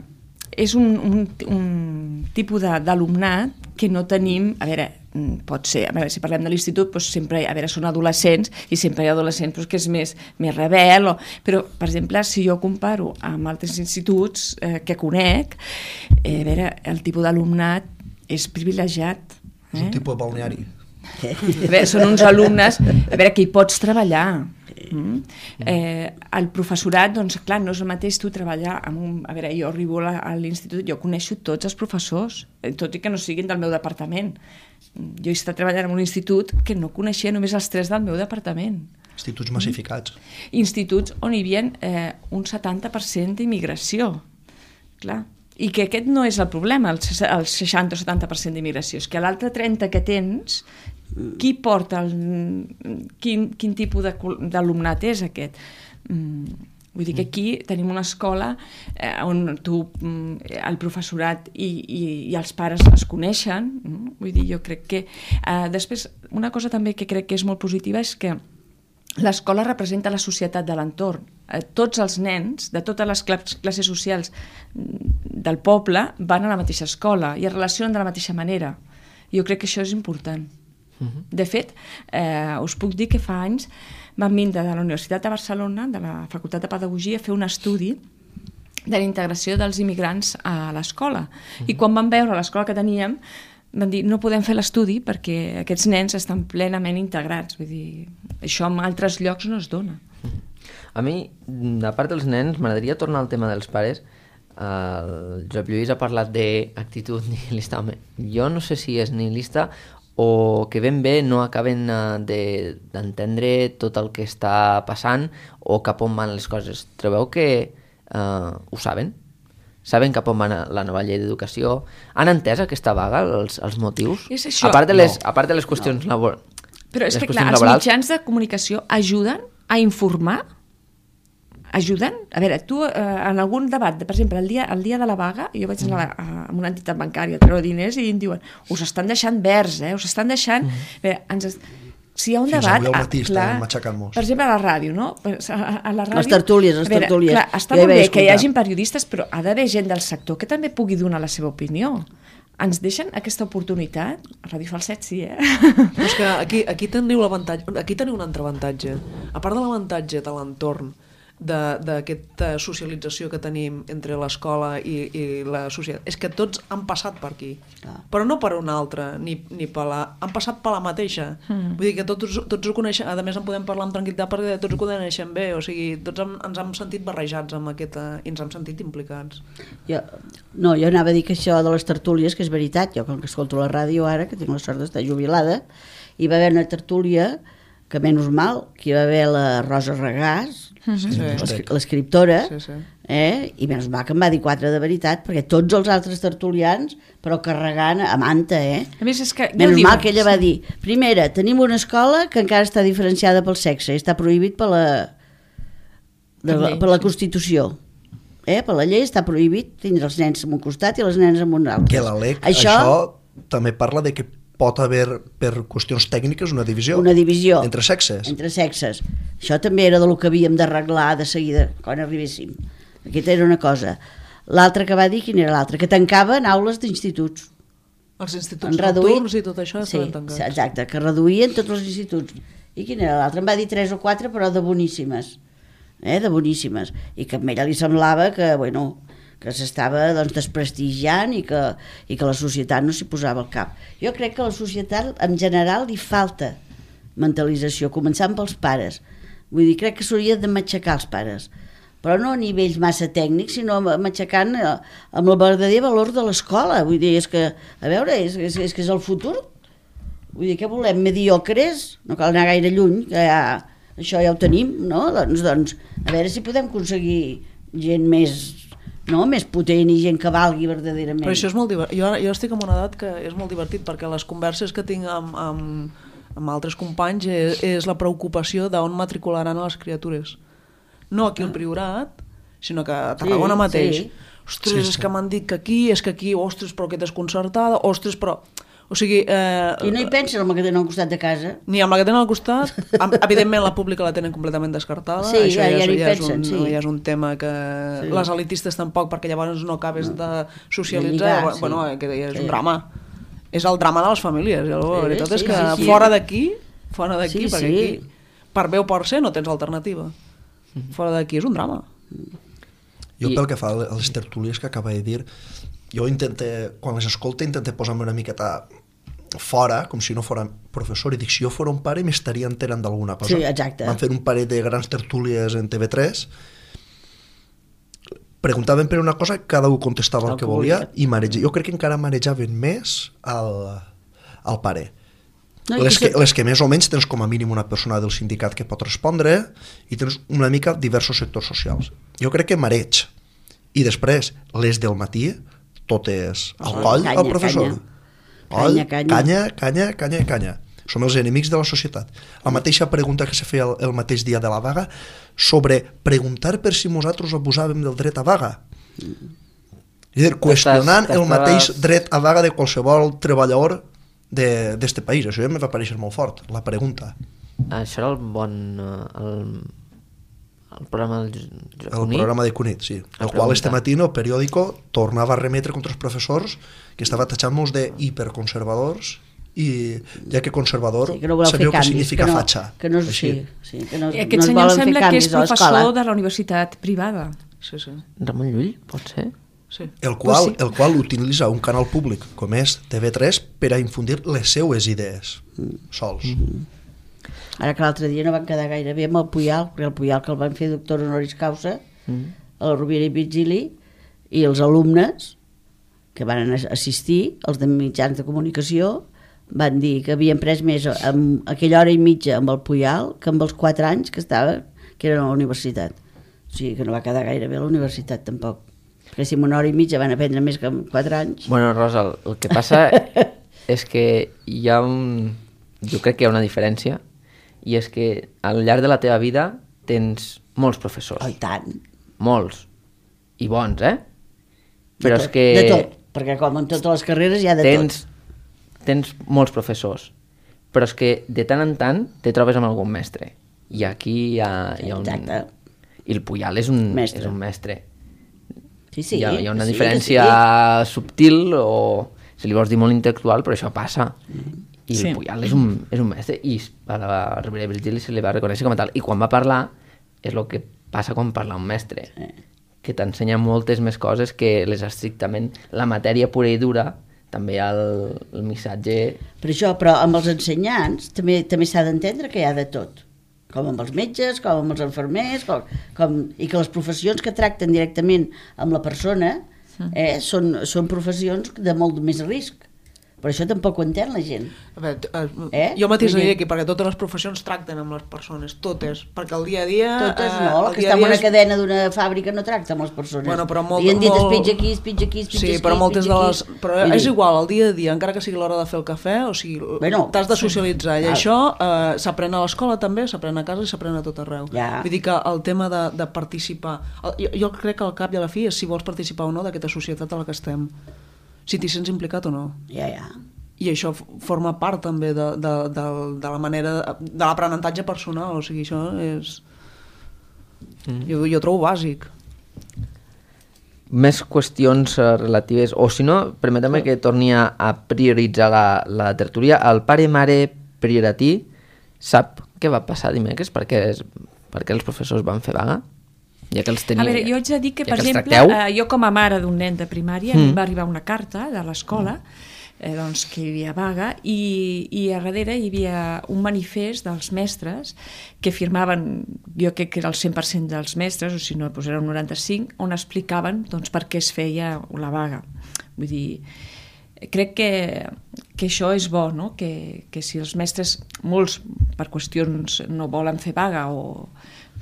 és un, un, un tipus de- d'alumnat que no tenim, a veure, mm, pot ser, a veure, si parlem de l'institut, doncs sempre, a veure, són adolescents, i sempre hi ha adolescents doncs, que és més, més rebel, o, però, per exemple, si jo comparo amb altres instituts eh, que conec, eh, a veure, el tipus d'alumnat és privilegiat. És un tipus de balneari. A veure, són uns alumnes, a veure, que hi pots treballar. Mm. Eh, el professorat, doncs clar, no és el mateix tu treballar amb un... A veure, jo arribo a a l'institut, jo coneixo tots els professors, eh, tot i que no siguin del meu departament. Jo he estat treballant en un institut que no coneixia només els tres del meu departament. Instituts massificats. Instituts on hi havia eh, un setanta per cent d'immigració. Clar. I que aquest no és el problema, el, ses- el seixanta o setanta per cent d'immigració, és que l'altre trenta que tens, qui porta el, quin, quin tipus de col- d'alumnat és aquest? Mm, vull dir que aquí tenim una escola eh, on tu, mm, el professorat i, i, i els pares es coneixen, mm? Vull dir, jo crec que... Eh, després, una cosa també que crec que és molt positiva és que l'escola representa la societat de l'entorn. Eh, tots els nens de totes les clas- classes socials mm, del poble van a la mateixa escola i es relacionen de la mateixa manera. Jo crec que això és important. Uh-huh. De fet, eh, us puc dir que fa anys vam vindre de la Universitat de Barcelona, de la Facultat de Pedagogia, a fer un estudi de la integració dels immigrants a l'escola. Uh-huh. I quan vam veure l'escola que teníem, van dir, no podem fer l'estudi perquè aquests nens estan plenament integrats. Vull dir, això en altres llocs no es dona. A mi, a part dels nens, m'agradaria tornar al tema dels pares. El Josep Lluís ha parlat d'actitud nihilista. Home, jo no sé si és nihilista o que ben bé no acaben eh, de- d'entendre tot el que està passant o cap on van les coses. Trobeu que eh, ho saben? Saben cap on va la nova llei d'educació? Han entès aquesta vaga, els, els motius? És això. A part de les, No. a part de les qüestions no. laborals. Però és les que, clar, qüestions els laborals, mitjans de comunicació ajuden a informar? Ajuden? A veure, tu eh, en algun debat, per exemple, el dia, el dia de la vaga, jo vaig anar a, a, a una entitat bancària a treure diners i em diuen, us estan deixant verds, eh? Us estan deixant... Mm. A veure, ens es... Si hi ha un Fins debat... avui al ah, matí estaven matxacant-nos. per exemple, a la ràdio, no? Pues A, a la ràdio, Les tertúlies, les a veure, tertúlies. Clar, està Jo hi molt vaig bé que hi escoltar. hagin periodistes, però ha d'haver gent del sector que també pugui donar la seva opinió. Ens deixen aquesta oportunitat? A Ràdio Falset sí, eh? Però és que aquí, aquí teniu l'avantatge, aquí teniu un altre avantatge. A part de l'avantatge de l'entorn, d'aquesta socialització que tenim entre l'escola i, i la societat. És que tots han passat per aquí, ah. però no per una altra, ni, ni per la... han passat per la mateixa. Mm. Vull dir que tots, tots ho coneixem, a més en podem parlar amb tranquil·litat perquè tots ho coneixem bé, o sigui, tots hem, ens hem sentit barrejats amb aquesta, i ens hem sentit implicats. Jo, no, jo anava a dir que això de les tertúlies, que és veritat, jo com que escolto la ràdio ara, que tinc la sort d'estar jubilada, hi va haver una tertúlia que menys mal, que hi va haver la Rosa Regàs, sí, l'escriptora, sí, sí. eh? I menys mal que em va dir quatre de veritat, perquè tots els altres tertulians, però carregant a manta, eh? A més, és que... Menys mal que ella va dir, primera, tenim una escola que encara està diferenciada pel sexe, i està prohibit per la, de la, per la Constitució. Eh? Per la llei està prohibit tindre els nens en un costat i les nenes en un altre. Que la L E C, això... això també parla de que pot haver, per qüestions tècniques, una divisió. Una divisió. Entre sexes. Entre sexes. Això també era del que havíem d'arreglar de seguida, quan arribéssim. Aquesta era una cosa. L'altra que va dir, quina era l'altra? Que tancaven aules d'instituts. Els instituts nocturns i tot això sí, estaven tancats. Exacte, que reduïen tots els instituts. I quina era l'altra? Em va dir tres o quatre, però de boníssimes. Eh, de boníssimes. I que a ella li semblava que, bueno... que s'estava doncs, desprestigiant i que, i que la societat no s'hi posava al cap. Jo crec que a la societat en general li falta mentalització, començant pels pares. Vull dir, crec que s'hauria de matxacar els pares, però no a nivells massa tècnics, sinó matxacant amb el verdader valor de l'escola. Vull dir, és que, a veure, és, és, és que és el futur. Vull dir, què volem? Mediocres? No cal anar gaire lluny, que ja, això ja ho tenim, no? Doncs, doncs, a veure si podem aconseguir gent més... no? Més potent i gent que valgui verdaderament. Però això és molt divertit. Jo, jo estic en una edat que és molt divertit perquè les converses que tinc amb, amb, amb altres companys és, és la preocupació d'on matricularan a les criatures. No aquí al Priorat, sinó que a Tarragona sí, mateix. Sí. Ostres, sí, sí. És que m'han dit que aquí, és que aquí, ostres, però que desconcertada, ostres, però... O sigui, eh, I no hi pensen amb la que tenen al costat de casa? Ni amb la que tenen al costat. Evidentment la pública la tenen completament descartada. Sí, això ja, ja, ja, ja, ja, pensen, és un, sí. ja és un tema que sí. Les elitistes tampoc, perquè llavors no acabes no. de socialitzar. De lligar, bueno, sí. Que és sí. un drama. És el drama de les famílies. La sí, veritat sí, és que sí, sí. fora d'aquí, fora d'aquí, sí, perquè sí. aquí, per bé o per ser, no tens alternativa. Fora d'aquí és un drama. Jo pel que fa a les tertúlies que acaba de dir, jo intente, quan les escolto, intente posar-me una miqueta fora, com si no fora professor, i dic, si jo fora un pare m'estaria enterant d'alguna cosa. Sí, exacte. Van fer un parell de grans tertúlies en T V tres, preguntaven per una cosa, cada un contestava el, el que volia, volia i mareja. Jo crec que encara marejaven més al, al pare. No, les, que, les que més o menys tens com a mínim una persona del sindicat que pot respondre i tens una mica diversos sectors socials. Jo crec que mareig. I després, les del matí, totes al coll canya, al professor. Canya. Canya, canya. Canya, canya, canya, canya. Som els enemics de la societat. La mateixa pregunta que se feia el, el mateix dia de la vaga sobre preguntar per si nosaltres abusàvem del dret a vaga. És a dir, qüestionant el mateix dret a vaga de qualsevol treballador d'este país. Això ja em va aparèixer molt fort, la pregunta. Això era el bon... El, el programa del Cunit? El programa de Cunit, sí. El, el qual este matí el periòdico tornava a remetre contra els professors que estava tatxant-nos de hiperconservadors i ja que conservador sí, que no sabeu què significa que no, fatxa. Que no, sí, sí, que no, aquest no senyor sembla que és professor de la universitat privada. Sí, sí. Ramon Llull, pot ser? Sí. El qual, pues sí. el qual utilitza un canal públic com és T V tres per a infundir les seues idees sols. Mm-hmm. Ara que l'altre dia no van quedar gaire bé amb el Puyal, perquè el Puyal que el van fer doctor honoris causa mm. a la Rovira i Virgili, i els alumnes que van assistir, els de mitjans de comunicació, van dir que havien pres més amb aquella hora i mitja amb el Puyal que amb els quatre anys que estava, que eren a la universitat. O sigui que no va quedar gaire bé a la universitat tampoc, perquè si en una hora i mitja van aprendre més que en quatre anys... Bueno, Rosa, el, el que passa és que hi ha un... Jo crec que hi ha una diferència, i és que al llarg de la teva vida tens molts professors. Oh, i tant. Molts. I bons, eh? Però tot, és que... De tot, perquè com en totes les carreres hi ha de tens, tot. Tens molts professors, però és que de tant en tant te trobes amb algun mestre. I aquí hi ha, hi ha un... Exacte. I el Puyal és un mestre. És un mestre. Sí, sí. Hi ha, hi ha una sí, diferència sí. subtil o, si li vols dir, molt intel·lectual, però això passa. Mm. I sí. El Puyal és un, és un mestre i a la Rovira i Virgili se li va reconèixer com a tal. I quan va parlar és el que passa quan parla un mestre, que t'ensenya moltes més coses que les estrictament la matèria pura i dura, també el, el missatge... Per això, però amb els ensenyants també també s'ha d'entendre que hi ha de tot, com amb els metges, com amb els infermers, com, com, i que les professions que tracten directament amb la persona eh, són, són professions de molt més risc. Per això tampoc ho entén la gent. A veure, eh, Eh? jo mateix Vull dir- diria aquí, perquè totes les professions tracten amb les persones, totes, perquè el dia a dia... Totes eh, no, el el que dia està a en dia una és- cadena d'una fàbrica no tracta amb les persones. Bueno, però molt- I han dit es molt- pitja aquí, es pitja aquí, es pitja Sí, aquí, però es moltes pitja de aquí. les... Però Vull és dir, igual, el dia a dia, encara que sigui l'hora de fer el cafè, o sigui, Bueno, t'has de socialitzar, i Val. això eh, s'aprèn a l'escola també, s'aprèn a casa i s'aprèn a tot arreu. Ja. Vull dir que el tema de, de participar... El, jo, jo crec que al cap i a la fi és si vols participar o no d'aquesta societat a la que estem. Si t'hi sents implicat o no. Ja, ja. I això f- forma part també de, de, de, de la manera, de l'aprenentatge personal, o sigui, això és... Mm. Jo, jo trobo bàsic. Més qüestions eh, relatives, o si no, permetem que torni a, a prioritzar la, la tertúlia. El pare-mare prioratí sap què va passar dimecres? Per què, és, per què els professors van fer vaga? Ja que els tenia, A veure, jo haig de dir que, ja per que els exemple, tracteu. eh, jo com a mare d'un nen de primària, mm. em va arribar una carta de l'escola eh, doncs, que hi havia vaga i, i a darrere hi havia un manifest dels mestres que firmaven, jo crec que era el cent per cent dels mestres, o si no, doncs era un noranta-cinc, on explicaven doncs, per què es feia la vaga. Vull dir, crec que, que això és bo, no? que, que si els mestres, molts per qüestions no volen fer vaga o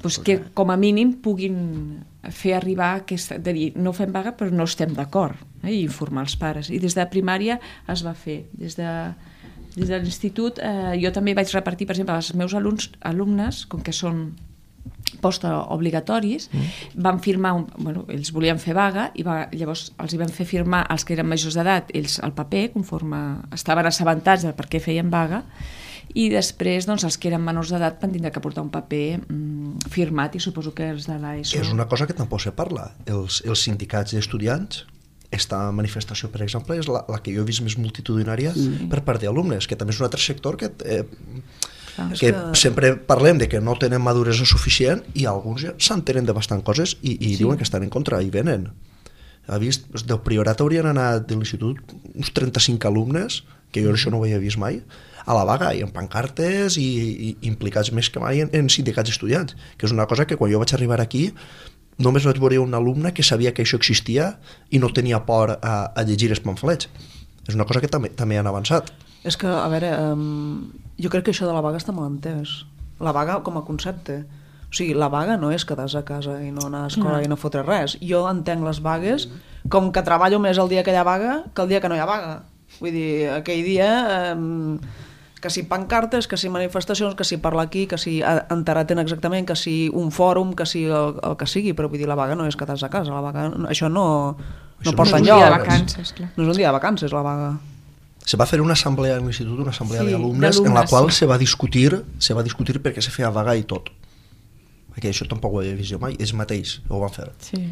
doncs que com a mínim puguin fer arribar aquesta, de dir, no fem vaga però no estem d'acord, eh? I informar els pares. I des de primària es va fer. Des de, des de l'institut eh, jo també vaig repartir, per exemple, als meus alumnes, alumnes com que són postobligatoris, mm. van firmar, un, bueno, ells volien fer vaga i va, llavors els hi van fer firmar els que eren majors d'edat, ells el paper, conforme estaven assabentats de per què feien vaga, i després doncs, els que eren menors d'edat van tindre que portar un paper mm, firmat i suposo que els de l'ESO. És una cosa que tampoc se parla. Els, els sindicats d'estudiants, esta manifestació, per exemple, és la, la que jo he vist més multitudinària mm. per part d'alumnes, que també és un altre sector que, eh, Clar, que, que- sempre parlem de que no tenen maduresa suficient i alguns ja s'entenen de bastant coses i, i sí. diuen que estan en contra i venen. Ha vist, del Priorat haurien anat de l'institut uns trenta-cinc alumnes, que jo això no ho havia vist mai, a la vaga i en pancartes i, i implicats més que mai en, en sindicats estudiants, que és una cosa que quan jo vaig arribar aquí només vaig veure un alumne que sabia que això existia i no tenia por a, a llegir els pamflets. És una cosa que també, també han avançat. És que, a veure, um, jo crec que això de la vaga està mal entès. La vaga com a concepte. O sigui, la vaga no és quedar-se a casa i no anar a escola no. i no fotre res. Jo entenc les vagues com que treballo més el dia que hi ha vaga que el dia que no hi ha vaga. Vull dir, aquell dia... Um, que si pancartes, que si manifestacions, que si parla aquí, que si enteraten exactament, que si un fòrum, que si el, el que sigui, però vull dir, la vaga no és quedar-se a casa, la vaga, això no, no Això porta no és un enlloc. dia de vacances, clar. No és un dia de vacances, la vaga. Se va fer una assemblea a l'institut, una assemblea Sí, d'alumnes, en la d'alumnes, qual sí. se va discutir se va discutir perquè se feia vaga i tot. Perquè això tampoc ho havia vist jo mai, ells mateix ho van fer. Sí.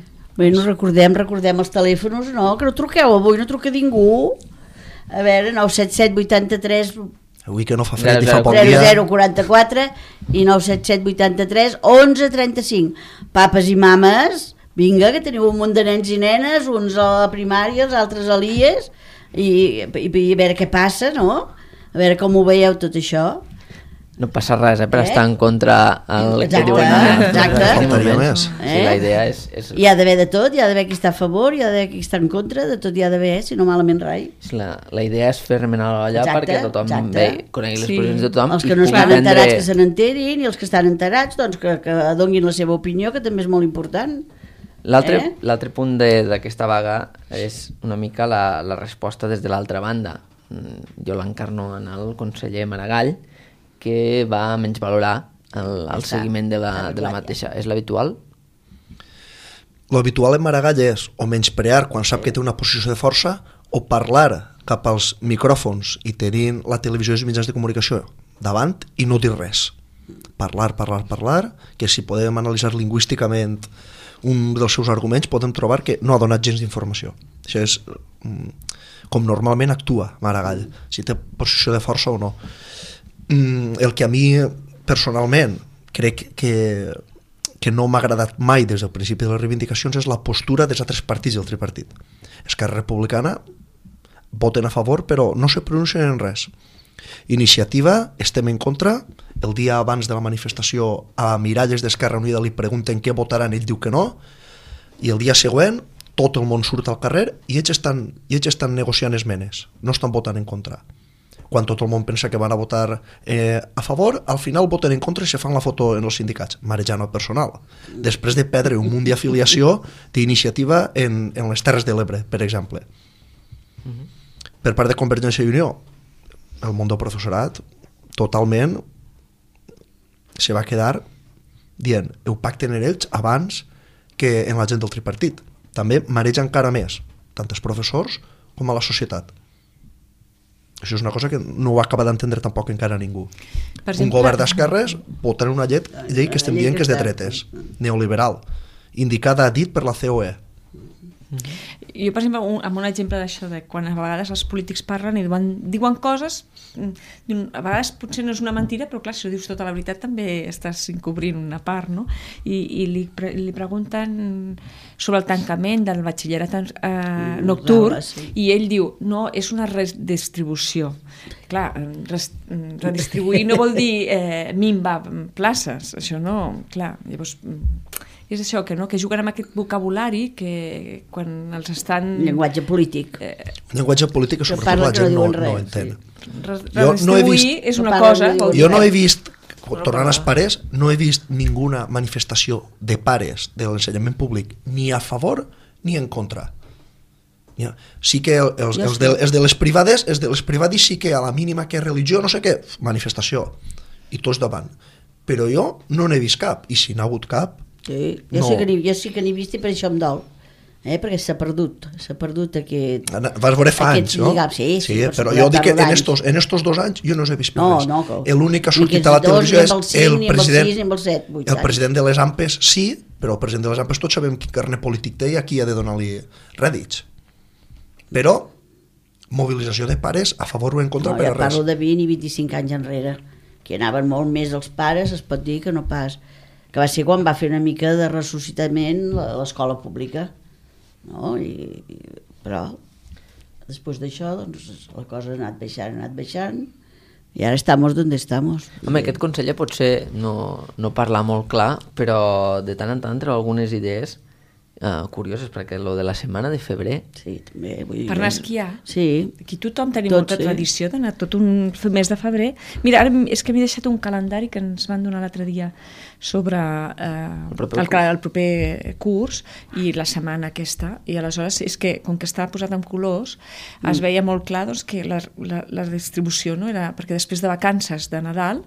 Bueno, recordem, recordem els telèfons, no? Que no truqueu avui, no truca ningú. A veure, nou set set vuitanta-tres Avui que no fa fred i fa zero poc zero dia... zero quaranta-quatre i nou set set vuitanta-tres onze trenta-cinc. Papes i mames, vinga, que teniu un munt de nens i nenes, uns a la primària, els altres a l'I E S, i, i, i a veure què passa, no? A veure com ho veieu tot això. No passa res, eh, per Eh? estar en contra el Exacte, que diuen en exacte. en aquell Faltaria moment. més. Sí, Eh? la idea és... és... Hi ha d'haver de tot, hi ha d'haver qui està a favor, hi ha d'haver qui està en contra, de tot hi ha d'haver, si no malament rai. La, la idea és fer remenar l'olla Exacte, perquè tothom exacte. ve, conegui les Sí. posicions de tothom Els i que no pugui estan prendre... enterats que se n'enterin, i els que estan enterats doncs que, que donguin la seva opinió, que també és molt important. L'altre Eh? l'altre punt de- d'aquesta vaga és una mica la, la resposta des de l'altra banda. Mm, Jo l'encarno en el conseller Maragall, que va menys valorar el, el Està, seguiment de la, està de la arreglat, mateixa. És l'habitual? L'habitual en Maragall és o menysprear quan sap que té una posició de força o parlar cap als micròfons i tenint la televisió i els mitjans de comunicació davant i no dir res. Parlar, parlar, parlar, que si podem analitzar lingüísticament un dels seus arguments podem trobar que no ha donat gens d'informació. Això és mm, com normalment actua Maragall, si té posició de força o no. Mm, el que a mi personalment crec que, que no m'ha agradat mai des del principi de les reivindicacions és la postura dels altres partits del tripartit. Esquerra Republicana voten a favor però no se pronuncien en res. Iniciativa, estem en contra. El dia abans de la manifestació a Miralles d'Esquerra Unida li pregunten què votaran, ell diu que no, i el dia següent tot el món surt al carrer i ells estan, i ells estan negociant esmenes, no estan votant en contra. Quan tot el món pensa que van a votar eh, a favor, al final voten en contra i se fan la foto en els sindicats, marejant el personal. Després de perdre un munt d'afiliació d'iniciativa en, en les Terres de l'Ebre, per exemple. Uh-huh. Per part de Convergència i Unió, el món del professorat totalment se va quedar dient ho pacten en ells abans que en la gent del tripartit. També mareja encara més, tant els professors com a la societat. Això és una cosa que no ho acaba d'entendre tampoc encara ningú. Per exemple, un govern d'esquerres votant una llei, llei que estem dient que és de dretes, neoliberal, indicada a dit per la C O E. Jo, per exemple, un, amb un exemple d'això, de quan a vegades els polítics parlen i diuen, diuen coses, a vegades potser no és una mentira, però clar, si ho dius tota la veritat també estàs encobrint una part, no? I, i li, pre, li pregunten sobre el tancament del batxillerat eh, nocturn, i ell diu, no, és una redistribució. Clar, res, redistribuir no vol dir eh, minvar places, això no, clar, llavors... És això, que, no? que juguen amb aquest vocabulari que quan els estan... Llenguatge polític. Eh... Llenguatge polític que sobretot la gent no, no, no entén. Sí. Redistribuir no vist... és una cosa... Jo no he vist, tornant als pares, no he vist ninguna manifestació de pares de l'ensenyament públic ni a favor ni en contra. Sí que els, els, de, els de les privades, els de les privades sí que a la mínima que és religió, no sé què, manifestació. I tots davant. Però jo no n'he vist cap. I si n'ha hagut cap... Sí, jo, no. sí que jo sí que n'he vist i per això em dol, eh? Perquè s'ha perdut, s'ha perdut aquest... Vas veure fa anys, no? Lligam, sí, sí, sí, però jo dic que en estos, en estos dos anys jo no els he vist per no, res. No, l'únic que ha sortit a la televisió és el president, el, set, el president de les AMPes, sí, però el president de les AMPes tots sabem quin carnet polític té i a qui ha de donar-li rèdits. Però mobilització de pares a favor o en contra no, per a res. Jo parlo de vint i vint-i-cinc anys enrere, que anaven molt més els pares, es pot dir que no pas... que va ser quan va fer una mica de ressuscitament l'escola pública, no? I, i, però després d'això doncs, la cosa ha anat baixant, ha anat baixant i ara estamos donde estamos. Home, aquest conseller potser no, no parla molt clar, però de tant en tant treu algunes idees uh, curioses, perquè lo de la setmana de febrer... Sí, també. Vull dir, per anar a esquiar. Sí. Aquí tothom tenim tot, molta sí. tradició d'anar tot un mes de febrer. Mira, ara és que m'he deixat un calendari que ens van donar l'altre dia sobre eh, el, proper el, el proper curs i la setmana aquesta, i aleshores és que com que estava posat en colors mm. es veia molt clar doncs, que la, la, la distribució no era, perquè després de vacances de Nadal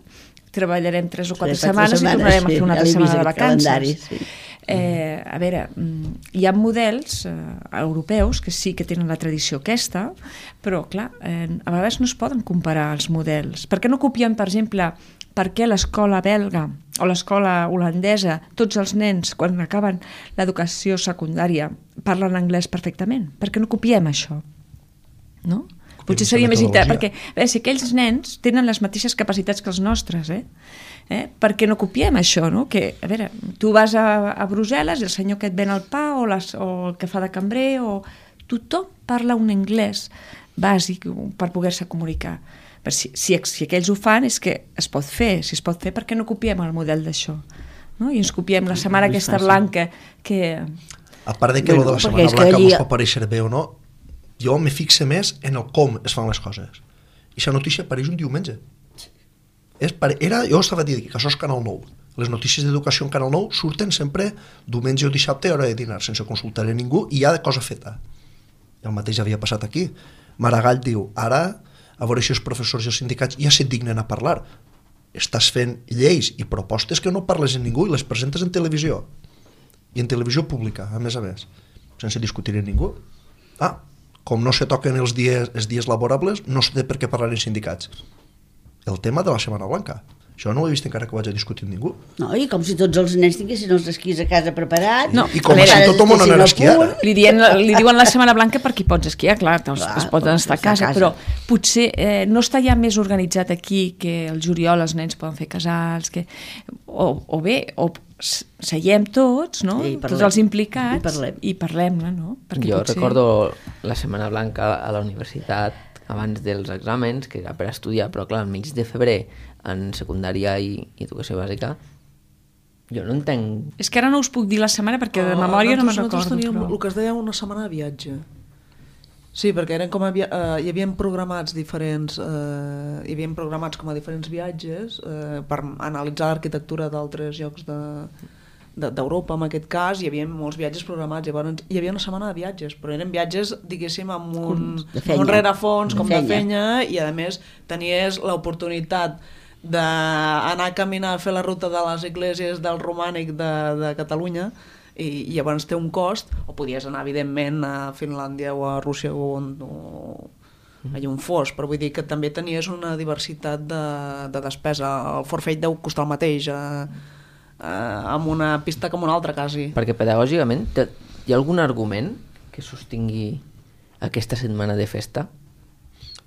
treballarem tres o quatre sí, setmanes, setmanes i tornarem sí, a fer una altra setmana de vacances. Sí. Eh, a veure, hi ha models eh, europeus que sí que tenen la tradició aquesta, però clar, eh, a vegades no es poden comparar els models. Per què no copien, per exemple, per què l'escola belga o l'escola holandesa, tots els nens, quan acaben l'educació secundària, parlen anglès perfectament? Per què no copiem això? No? Potser seria més interessant, perquè a veure, si aquells nens tenen les mateixes capacitats que els nostres, eh? Eh? Per què no copiem això, no? Que, a veure, tu vas a, a Brussel·les i el senyor que et ven el pa o, les, o el que fa de cambrer o... tothom parla un anglès bàsic per poder-se comunicar. Per si, si, si aquells ho fan és que es pot fer, si es pot fer, per què no copiem el model d'això? No? I ens copiem la setmana aquesta blanca que... A part de que bueno, lo de la setmana blanca allí... mos pot pareixer bé o no, jo me fixe més en el com es fan les coses. I aquesta notícia apareix un diumenge. És pare... Era, jo estava dient que això és Canal nou. Les notícies d'educació en Canal nou surten sempre diumenge o dissabte a hora de dinar, sense consultar a ningú, i hi ha de cosa feta. I el mateix havia passat aquí. Maragall diu, ara, a veure si els professors i els sindicats ja se't dignen a parlar. Estàs fent lleis i propostes que no parles amb ningú i les presentes en televisió. I en televisió pública, a més a més, sense discutir amb ningú. Ah, com no se toquen els dies, els dies laborables, no sé per què parlar en sindicats. El tema de la Setmana Blanca. Això no ho he vist encara que ho vaig a discutir amb ningú. No, i com si tots els nens tinguessin els esquís a casa preparats. No, I com si tothom no anés a esquiar. Li, dien, li diuen la Setmana Blanca perquè hi pots esquiar, clar, doncs, clar es poden estar a casa, a casa, però potser eh, no està ja més organitzat aquí que el juliol els nens poden fer casals, que, o, o bé, o seiem tots, no? I parlem. Tots els implicats, I parlem. i parlem-ne, no? Perquè jo potser... recordo la Setmana Blanca a la universitat abans dels exàmens, que era per estudiar, però clar, al mig de febrer en secundària i, i educació bàsica, jo no entenc... És que ara no us puc dir la setmana perquè de memòria no me'n recordo. Nosaltres teníem però... el que es deia una setmana de viatge. Sí, perquè eren com a via... uh, hi havia programats diferents uh, hi havia programats com a diferents viatges uh, per analitzar l'arquitectura d'altres llocs de, de, d'Europa, en aquest cas hi havia molts viatges programats, llavors hi havia una setmana de viatges, però eren viatges, diguéssim, amb un, amb un rerefons com de fenya, i a més tenies l'oportunitat d'anar a caminar a fer la ruta de les esglésies del romànic de, de Catalunya, i, i llavors té un cost, o podies anar evidentment a Finlàndia o a Rússia o on o, allà on fos, però vull dir que també tenies una diversitat de, de despesa. El forfait deu costar el mateix a, a, amb una pista com una altra quasi. Perquè pedagògicament hi ha algun argument que sostingui aquesta setmana de festa?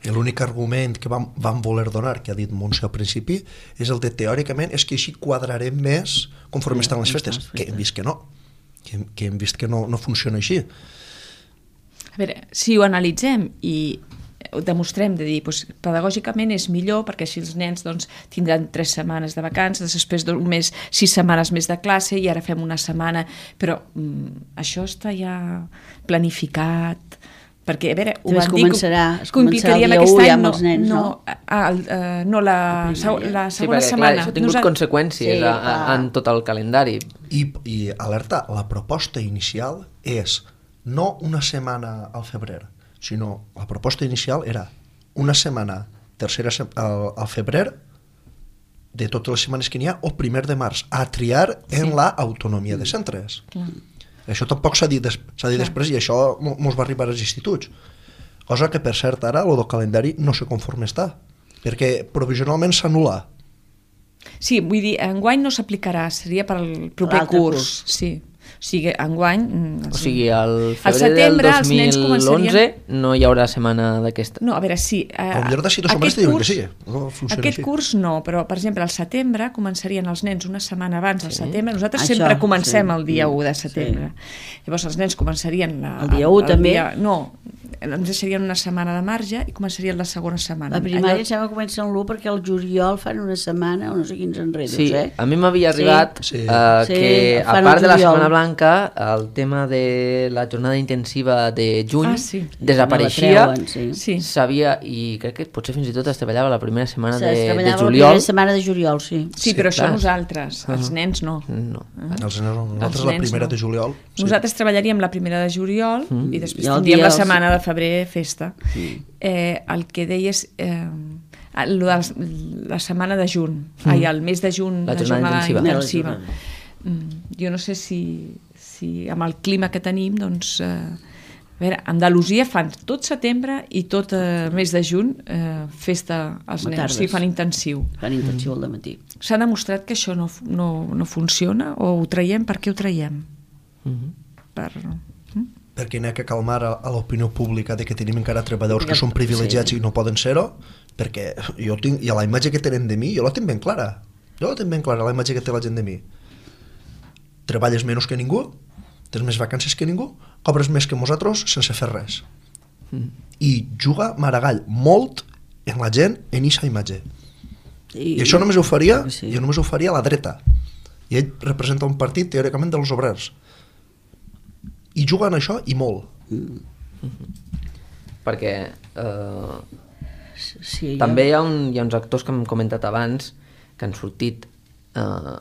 L'únic argument que vam, vam voler donar, que ha dit Montse al principi, és el de teòricament és que així quadrarem més conforme sí, estan les festes, les festes, que hem vist que no. Que, que hem vist que no, no funciona així. A veure, si ho analitzem i ho demostrem de dir, doncs, pedagògicament és millor perquè així els nens doncs, tindran tres setmanes de vacances, després d'un mes, sis setmanes més de classe i ara fem una setmana, però mm, això està ja planificat, perquè a veure, ho van dir, es començarà el dia u ja amb els nens, no? No, el, uh, no la, la segona sí, perquè, setmana. Clar, això ha tingut Nos... conseqüències sí, a, a, en tot el calendari. I, I alerta, la proposta inicial és no una setmana al febrer, sinó la proposta inicial era una setmana tercera se al, al febrer de totes les setmanes que n'hi ha o primer de març, a triar en sí. la autonomia de centres. Clar. Això tampoc s'ha dit, des, s'ha dit després i això mos va arribar als instituts. Cosa que, per cert, ara, el del calendari no sé conforme està, perquè provisionalment s'anul·la. Sí, vull dir, enguany no s'aplicarà, seria per al proper curs. curs. Sí. O sigui, enguany... O sigui, al febrer del dos mil onze començarien... no hi haurà setmana d'aquesta. No, a veure, sí. Eh, a millor d'ací dos setmanes te diuen que sí. No aquest així. Curs no, però, per exemple, al setembre començarien els nens una setmana abans, al sí. setembre. Nosaltres Això, sempre comencem sí. el dia u de setembre. Sí. Llavors els nens començarien... La, el dia u el, el també? Dia, no, ens deixarien una setmana de marge i començarien la segona setmana. La primària Allò... sembla que comença en l'u perquè el juliol fan una setmana o no sé quins enredos, sí, eh? A mi m'havia arribat sí. Uh, sí. que, a part de la Setmana Blanca, el tema de la jornada intensiva de juny ah, sí. desapareixia, no treuen, sí. sabia, i crec que potser fins i tot es treballava la primera setmana sí, de, de juliol. La primera setmana de juliol, sí. Sí, sí però clar. Això nosaltres, els uh-huh. nens no. no. Uh-huh. Els nens, nosaltres els la primera no. de juliol. Sí. Nosaltres treballaríem la primera de juliol uh-huh. i després I tindríem la setmana de febrer festa. Uh-huh. Eh, el que deies... Eh, la, la setmana de juny, mm. ai, el mes de juny, la jornada, la jornada intensiva. intensiva. Mm, jo no sé si, si amb el clima que tenim, doncs, eh, a veure, a Andalusia fan tot setembre i tot el eh, mes de juny eh, festa als nens, o sigui, fan intensiu. Fan intensiu al matí. S'ha demostrat que això no, no, no funciona o ho traiem, per què ho traiem? Mm-hmm. Per... Mm? perquè n'hi ha que calmar a, a l'opinió pública de que tenim encara treballadors que són privilegiats sí. i no poden ser-ho, perquè jo tinc, i la imatge que tenen de mi, jo la tinc ben clara. Jo la tinc ben clara, la imatge que té la gent de mi. Treballes menys que ningú, tens més vacances que ningú, cobres més que nosaltres sense fer res. Mm. I juga Maragall molt en la gent en aquesta imatge. I, I això només ho faria, sí. jo només ho faria a la dreta. I ell representa un partit teòricament dels obrers. I juguen això i molt. Mm. Mm-hmm. Perquè eh, sí, també hi ha, un, hi ha uns actors que hem comentat abans que han sortit eh,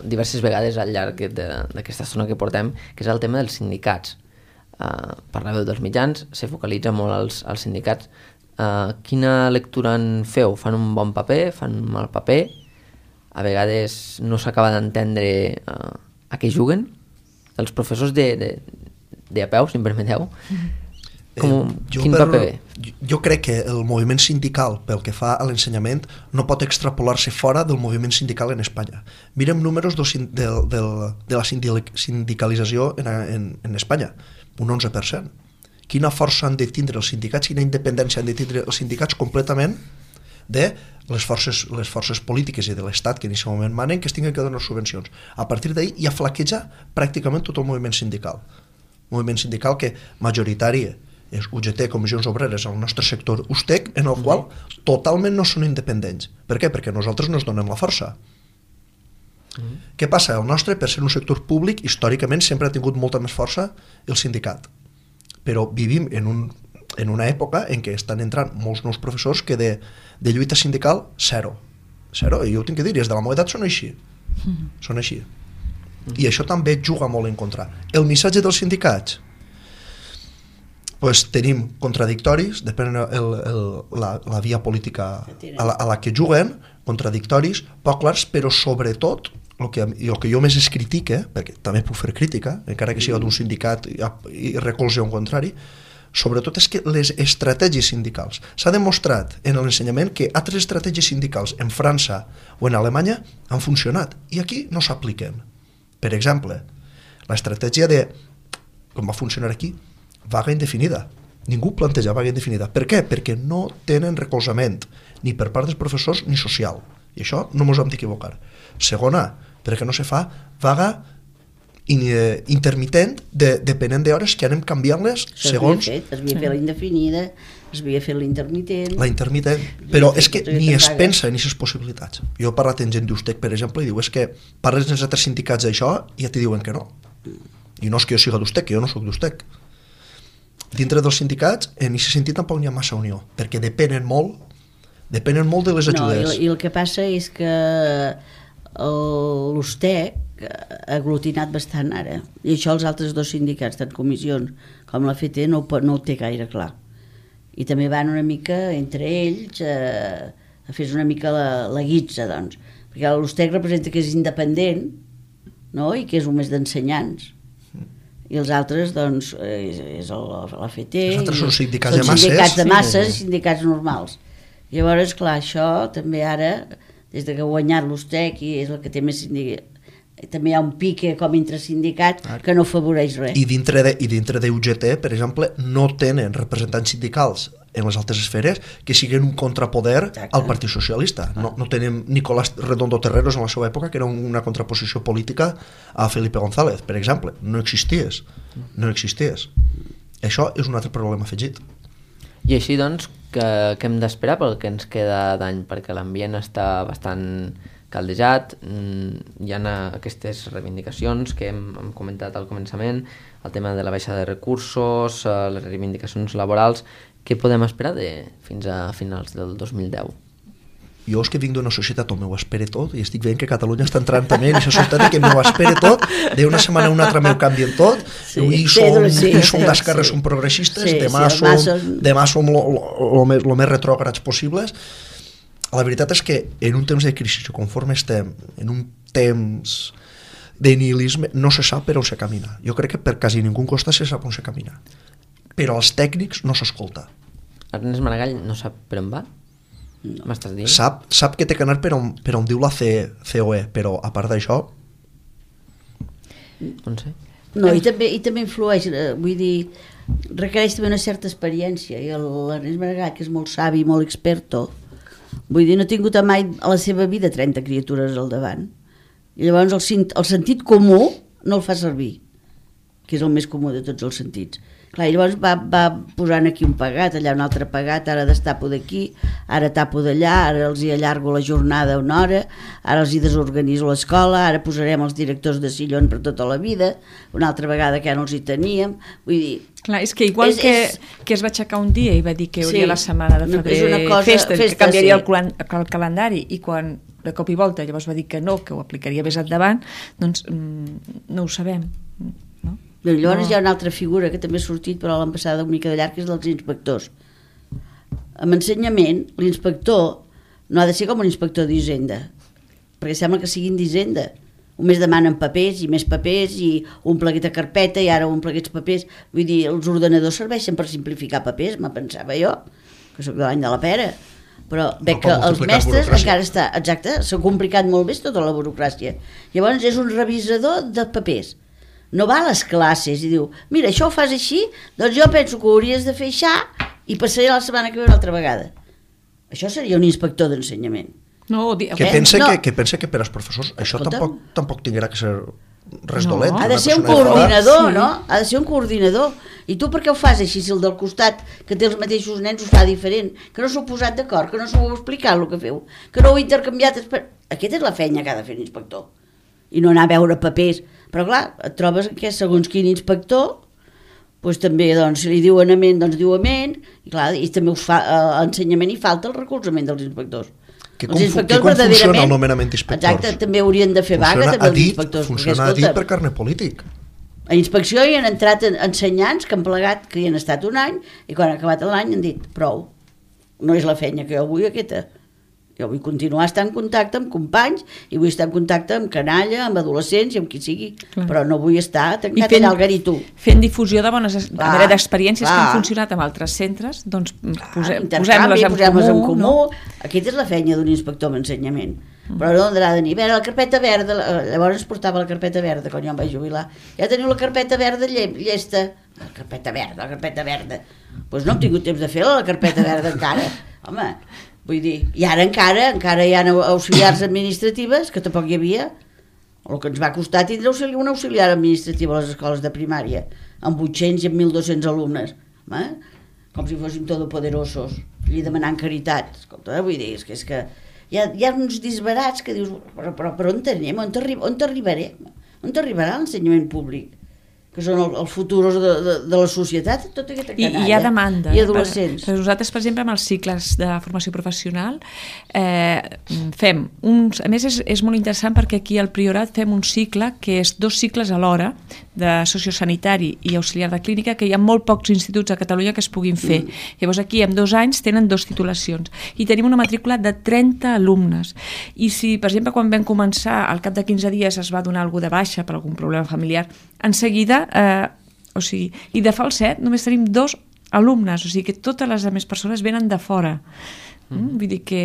diverses vegades al llarg d'aquesta estona que portem, que és el tema dels sindicats. Eh, per la veu dels mitjans se focalitza molt als, als sindicats. Eh, quina lectura en feu? Fan un bon paper? Fan un mal paper? A vegades no s'acaba d'entendre eh, a què juguen? Els professors de, de de a peu, si em permeteu, com, eh, quin per, paper bé? Jo, jo crec que el moviment sindical, pel que fa a l'ensenyament, no pot extrapolar-se fora del moviment sindical en Espanya. Mirem números del, del, del, de la sindicalització en, en, en Espanya, un onze per cent. Quina força han de tindre els sindicats, quina independència han de tindre els sindicats completament de les forces, les forces polítiques i de l'Estat que en aquest moment manen que es tinguin que donar subvencions. A partir d'ahir ja flaqueja pràcticament tot el moviment sindical. Un moviment sindical que majoritari és U G T, Comissions Obreres, el nostre sector U S T E C, en el qual totalment no són independents. Per què? Perquè nosaltres no ens donem la força. Mm. Què passa? El nostre, per ser un sector públic, històricament sempre ha tingut molta més força el sindicat. Però vivim en, un, en una època en què estan entrant molts nous professors que de, de lluita sindical, zero. Zero, i jo ho tinc que dir, des de la meva edat són així. Mm. Són així. Mm. I això també juga molt en contra. El missatge dels sindicats, pues, tenim contradictoris, depèn el, el, la, la via política a la, a la que juguen, contradictoris, poc clars, però sobretot el que, el que jo més es critique, perquè també puc fer crítica, encara que sigui d'un sindicat i, i recolze un contrari, sobretot és que les estratègies sindicals. S'ha demostrat en l'ensenyament que altres estratègies sindicals en França o en Alemanya han funcionat i aquí no s'apliquen. Per exemple, l'estratègia de, com va funcionar aquí, vaga indefinida. Ningú planteja vaga indefinida. Per què? Perquè no tenen recolzament, ni per part dels professors ni social. I això no ens hem d'equivocar. Segona, perquè no se fa vaga in, eh, intermitent de, depenent d'hores que anem canviant-les segons... Fet, es havia fet la indefinida, es havia fet l'intermitent... La intermitent, però és que ni es pensa en aquestes possibilitats. Jo he parlat amb gent d'U S T E C, per exemple, i diu, és que parles dels altres sindicats d'això i ja t'hi diuen que no. I no és que jo siga d'U S T E C, que jo no soc d'U S T E C. Dintre dels sindicats, en aquest sentit tampoc n'hi ha massa unió, perquè depenen molt, depenen molt de les ajudes. No, i, i el que passa és que l'U S T E C ha aglutinat bastant ara, i això els altres dos sindicats, tant comissions com la F T, no, no ho té gaire clar. I també van una mica entre ells a, a fer una mica la, la guitza, doncs, perquè l'U S T E C representa que és independent, no?, i que és un més d'ensenyants. I els altres, doncs, és, és la F T... Els altres són sindicats de masses. Són sindicats de masses i sindicats normals. Llavors, clar, això també ara, des de que ha guanyat l'U S T E C, i és el que té més sindicats, també hi ha un pique com entre sindicats que no afavoreix res. I dintre de, i dintre de U G T, per exemple, no tenen representants sindicals en les altres esferes que siguin un contrapoder Exacte. Al Partit Socialista. No, no tenen Nicolás Redondo Terreros en la seva època, que era una contraposició política a Felipe González, per exemple. No existies. No existies. Això és un altre problema afegit. I així, doncs, que, que hem d'esperar pel que ens queda d'any? Perquè l'ambient està bastant caldejat, hi ha aquestes reivindicacions que hem, hem comentat al començament, el tema de la baixada de recursos, les reivindicacions laborals. Què podem esperar de, fins a finals del dos mil deu? Jo és que vinc d'una societat on m'ho espere tot i estic veient que Catalunya està entrant també en aquesta societat que m'ho espere tot, d'una setmana a una altra m'ho canvien tot, sí, avui som, sí, som d'esquerra, sí. Som progressistes, sí, demà, sí, som, som... demà som el més, més retrògrads possibles. La veritat és que en un temps de crisi, conforme estem, en un temps de nihilisme, no se sap per on se camina. Jo crec que per quasi ningú costa se sap on se camina. Però als tècnics no s'escolta. Ernest Maragall no sap per on va? No. M'estàs dient? Sap, sap que té que anar per on, per on diu la C O E, però a part d'això... No sé. No, i també, i també influeix, vull dir, requereix també una certa experiència, i l'Ernest Maragall, que és molt savi, molt experto, vull dir, no ha tingut mai a la seva vida trenta criatures al davant. I llavors el, el sentit comú no el fa servir, que és el més comú de tots els sentits. Clar, i llavors va, va posant aquí un pagat, allà un altre pagat, ara destapo d'aquí, ara tapo d'allà, ara els hi allargo la jornada una hora, ara els hi desorganitzo l'escola, ara posarem els directors de sillon per tota la vida, una altra vegada que ja no els hi teníem, vull dir... Clar, és que igual és, que, és... que es va aixecar un dia i va dir que hauria sí, la setmana de febrer una cosa, festa, festa, que canviaria sí. el, el calendari, i quan de cop i volta llavors va dir que no, que ho aplicaria més endavant, doncs mm, no ho sabem. No? Llavors no. Hi ha una altra figura que també ha sortit però l'han passada una mica de llarg, que és dels inspectors. Amb ensenyament, l'inspector no ha de ser com un inspector d'Hisenda, perquè sembla que siguin d'Hisenda. Només demanen papers i més papers i un pleguet de carpeta i ara un pleguet de papers. Vull dir, els ordenadors serveixen per simplificar papers, me pensava jo, que sóc de l'any de la pera. Però veig que els mestres encara està, exacte, s'ha complicat molt més tota la burocràcia. Llavors és un revisador de papers. No va a les classes i diu, mira, això ho fas així, doncs jo penso que ho hauries de fer això i passaré la setmana que ve una altra vegada. Això seria un inspector d'ensenyament. No, di... Que Eh? pensa, No. que, que pensa que per als professors això Escolta'm. tampoc, tampoc tinguerà que ser res No. dolent. Ha Una de ser un persona enfadada. coordinador, Sí. no? Ha de ser un coordinador. I tu per què ho fas així, si el del costat, que té els mateixos nens, ho fa diferent? Que no s'ho heu posat d'acord, que no s'ho heu explicat el que feu, que no ho heu intercanviat... esper- Aquesta és la feina que ha de fer l'inspector. I no anar a veure papers. Però clar, et trobes que segons quin inspector, doncs també, doncs, si li diuen amén, doncs diu amén, i clar, i també us fa, a ensenyament hi falta el recolzament dels inspectors. Que Els com, inspectors que com funciona verdaderament- el nomenament d'inspectors? Exacte, també haurien de fer vaga, Funciona també a els dit, inspectors. funciona a dit per carne polític. A inspecció hi han entrat en- ensenyants que han plegat, que hi han estat un any, i quan ha acabat l'any han dit, prou, no és la feina que jo vull aquesta. Jo vull continuar estar en contacte amb companys i vull estar en contacte amb canalla, amb adolescents i amb qui sigui, Clar. però no vull estar I tancat fent- allà al garitú. Fent difusió de bones es- Clar, a veure, d'experiències que clar. han funcionat amb altres centres, doncs pose, Intercanvi, posem-les en posem-les comú. en comú. No? Aquesta és la feina d'un inspector d'ensenyament. Però no ha de dir, a veure, la carpeta verda, la- llavors es portava la carpeta verda quan jo em vaig jubilar. Ja teniu la carpeta verda lle llesta. La carpeta verda, la carpeta verda. Doncs pues no hem tingut temps de fer-la, la carpeta verda encara. Home, vull dir, i ara encara, encara hi ha auxiliars administratives, que tampoc hi havia. El que ens va costar tindre auxili un auxiliar administratiu a les escoles de primària, amb vuit-cents i amb mil dos-cents alumnes. Home, com si fóssim todopoderosos, i demanant caritat. Escolta, vull dir, és que, és que hi, ha, hi ha uns disbarats que dius, però, però, però on anem? On t'arri- on t'arribarem? On t'arribarà l'ensenyament públic? Que són el, el futur de, de, de la societat, tota aquesta I, canalla. I hi ha demanda. I eh? adolescents. Per, per nosaltres, per exemple, amb els cicles de formació professional, eh, fem uns... A més, és, és molt interessant perquè aquí al Priorat fem un cicle que és dos cicles alhora, de sociosanitari i auxiliar de clínica, que hi ha molt pocs instituts a Catalunya que es puguin fer. Mm. Llavors aquí, en dos anys, tenen dos titulacions. I tenim una matrícula de trenta alumnes. I si, per exemple, quan vam començar, al cap de quinze dies es va donar algú de baixa per algun problema familiar, en seguida, eh, o sigui, i de falset només tenim dos alumnes, o sigui que totes les altres persones venen de fora. Mm. Vull dir que,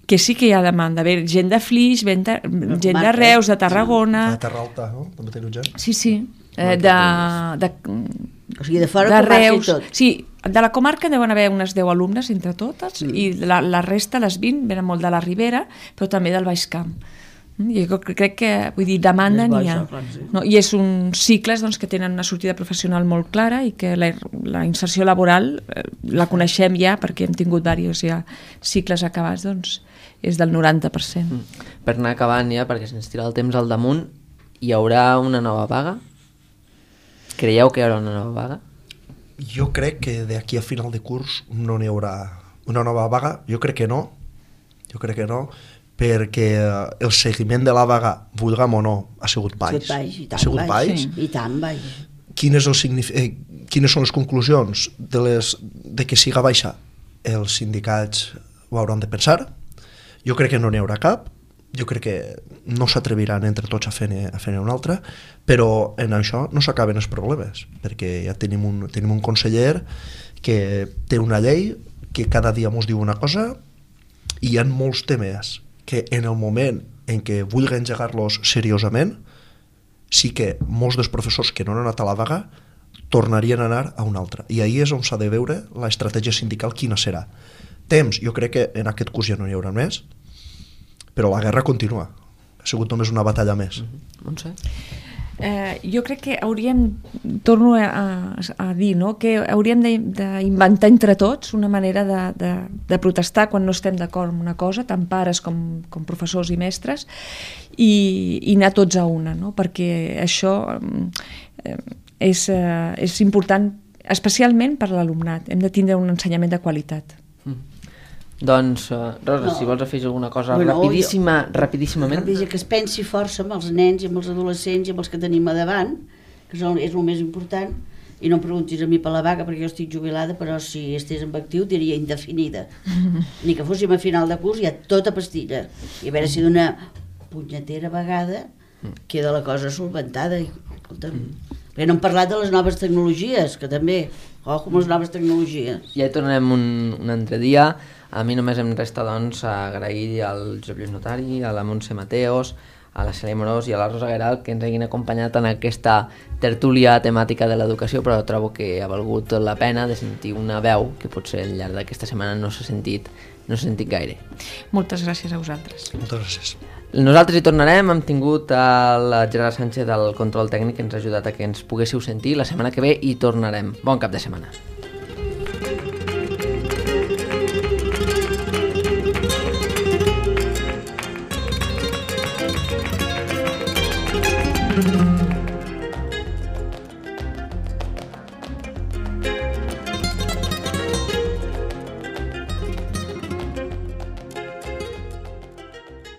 que sí que hi ha demanda. Bé, gent de Flix, gent de, gent de Reus, de Tarragona... De Terra Alta, no? També teniu gent? Sí, sí. Eh, de, de, O sigui, de fora de comarca i Reus. tot. Sí, de la comarca deuen haver unes deu alumnes entre totes mm. i la, la resta, les vint, venen molt de la Ribera, però també del Baix Camp. Mm, I jo crec que, vull dir, demanda És bo n'hi ha. això, clar, sí. No, i és un cicles doncs, que tenen una sortida professional molt clara i que la, la inserció laboral eh, la coneixem ja perquè hem tingut diversos ja cicles acabats, doncs és del noranta per cent. Mm. Per anar acabant ja, perquè se'ns tira el temps al damunt, hi haurà una nova vaga? Creieu que hi haurà una nova vaga? Jo crec que d'aquí a final de curs no n'hi haurà una nova vaga. Jo crec que no. Jo crec que no, perquè el seguiment de la vaga, vulguem o no, ha sigut baix. baix, i tant ha sigut baix. baix. Sí. I tant baix. Quin és el signif eh, quines són les conclusions de, les, de que siga baixa? Els sindicats ho hauran de pensar. Jo crec que no n'hi haurà cap. Jo crec que no s'atreviran entre tots a fer-ne a fer una altra, però en això no s'acaben els problemes, perquè ja tenim un, tenim un conseller que té una llei que cada dia ens diu una cosa i hi ha molts temes que en el moment en què vulguen engegar-los seriosament, sí que molts dels professors que no han anat a la vaga tornarien a anar a una altra. I ahir és on s'ha de veure l'estratègia sindical quina serà. Temps, jo crec que en aquest curs ja no n'hi haurà més, però la guerra continua. Ha sigut només una batalla més. Mm-hmm. Montse? Eh, jo crec que hauríem, torno a, a, a dir, no? que hauríem d'inventar entre tots una manera de, de, de protestar quan no estem d'acord amb una cosa, tant pares com, com professors i mestres, i, i anar tots a una, no? perquè això eh, és, eh, és important, especialment per l'alumnat. Hem de tindre un ensenyament de qualitat. Mm. Doncs, uh, Rosa, No. si vols afegir alguna cosa Bueno, rapidíssima, rapidíssimament. Rapidíssim, que es pensi força amb els nens i amb els adolescents i amb els que tenim a davant, que són, és el més important, i no em preguntis a mi per la vaga perquè jo estic jubilada, però si estés en actiu diria indefinida. Ni que fóssim a final de curs ja tota pastilla. I a veure si d'una punyetera vegada queda la cosa solventada. I, escolta'm, perquè no hem parlat de les noves tecnologies, que també, ojo amb les noves tecnologies. Ja hi tornarem un, un altre dia. A mi només em resta doncs agrair al Josep Lluís Notari, a la Montse Mateos, a la Cèlia Morós i a la Rosa Gueral que ens hagin acompanyat en aquesta tertúlia temàtica de l'educació, però trobo que ha valgut la pena de sentir una veu que potser al llarg d'aquesta setmana no s'ha sentit no s'ha sentit gaire. Moltes gràcies a vosaltres. Moltes gràcies. Nosaltres hi tornarem, hem tingut el Gerard Sánchez del control tècnic que ens ha ajudat a que ens poguéssiu sentir. La setmana que ve hi tornarem. Bon cap de setmana. Mm-hmm.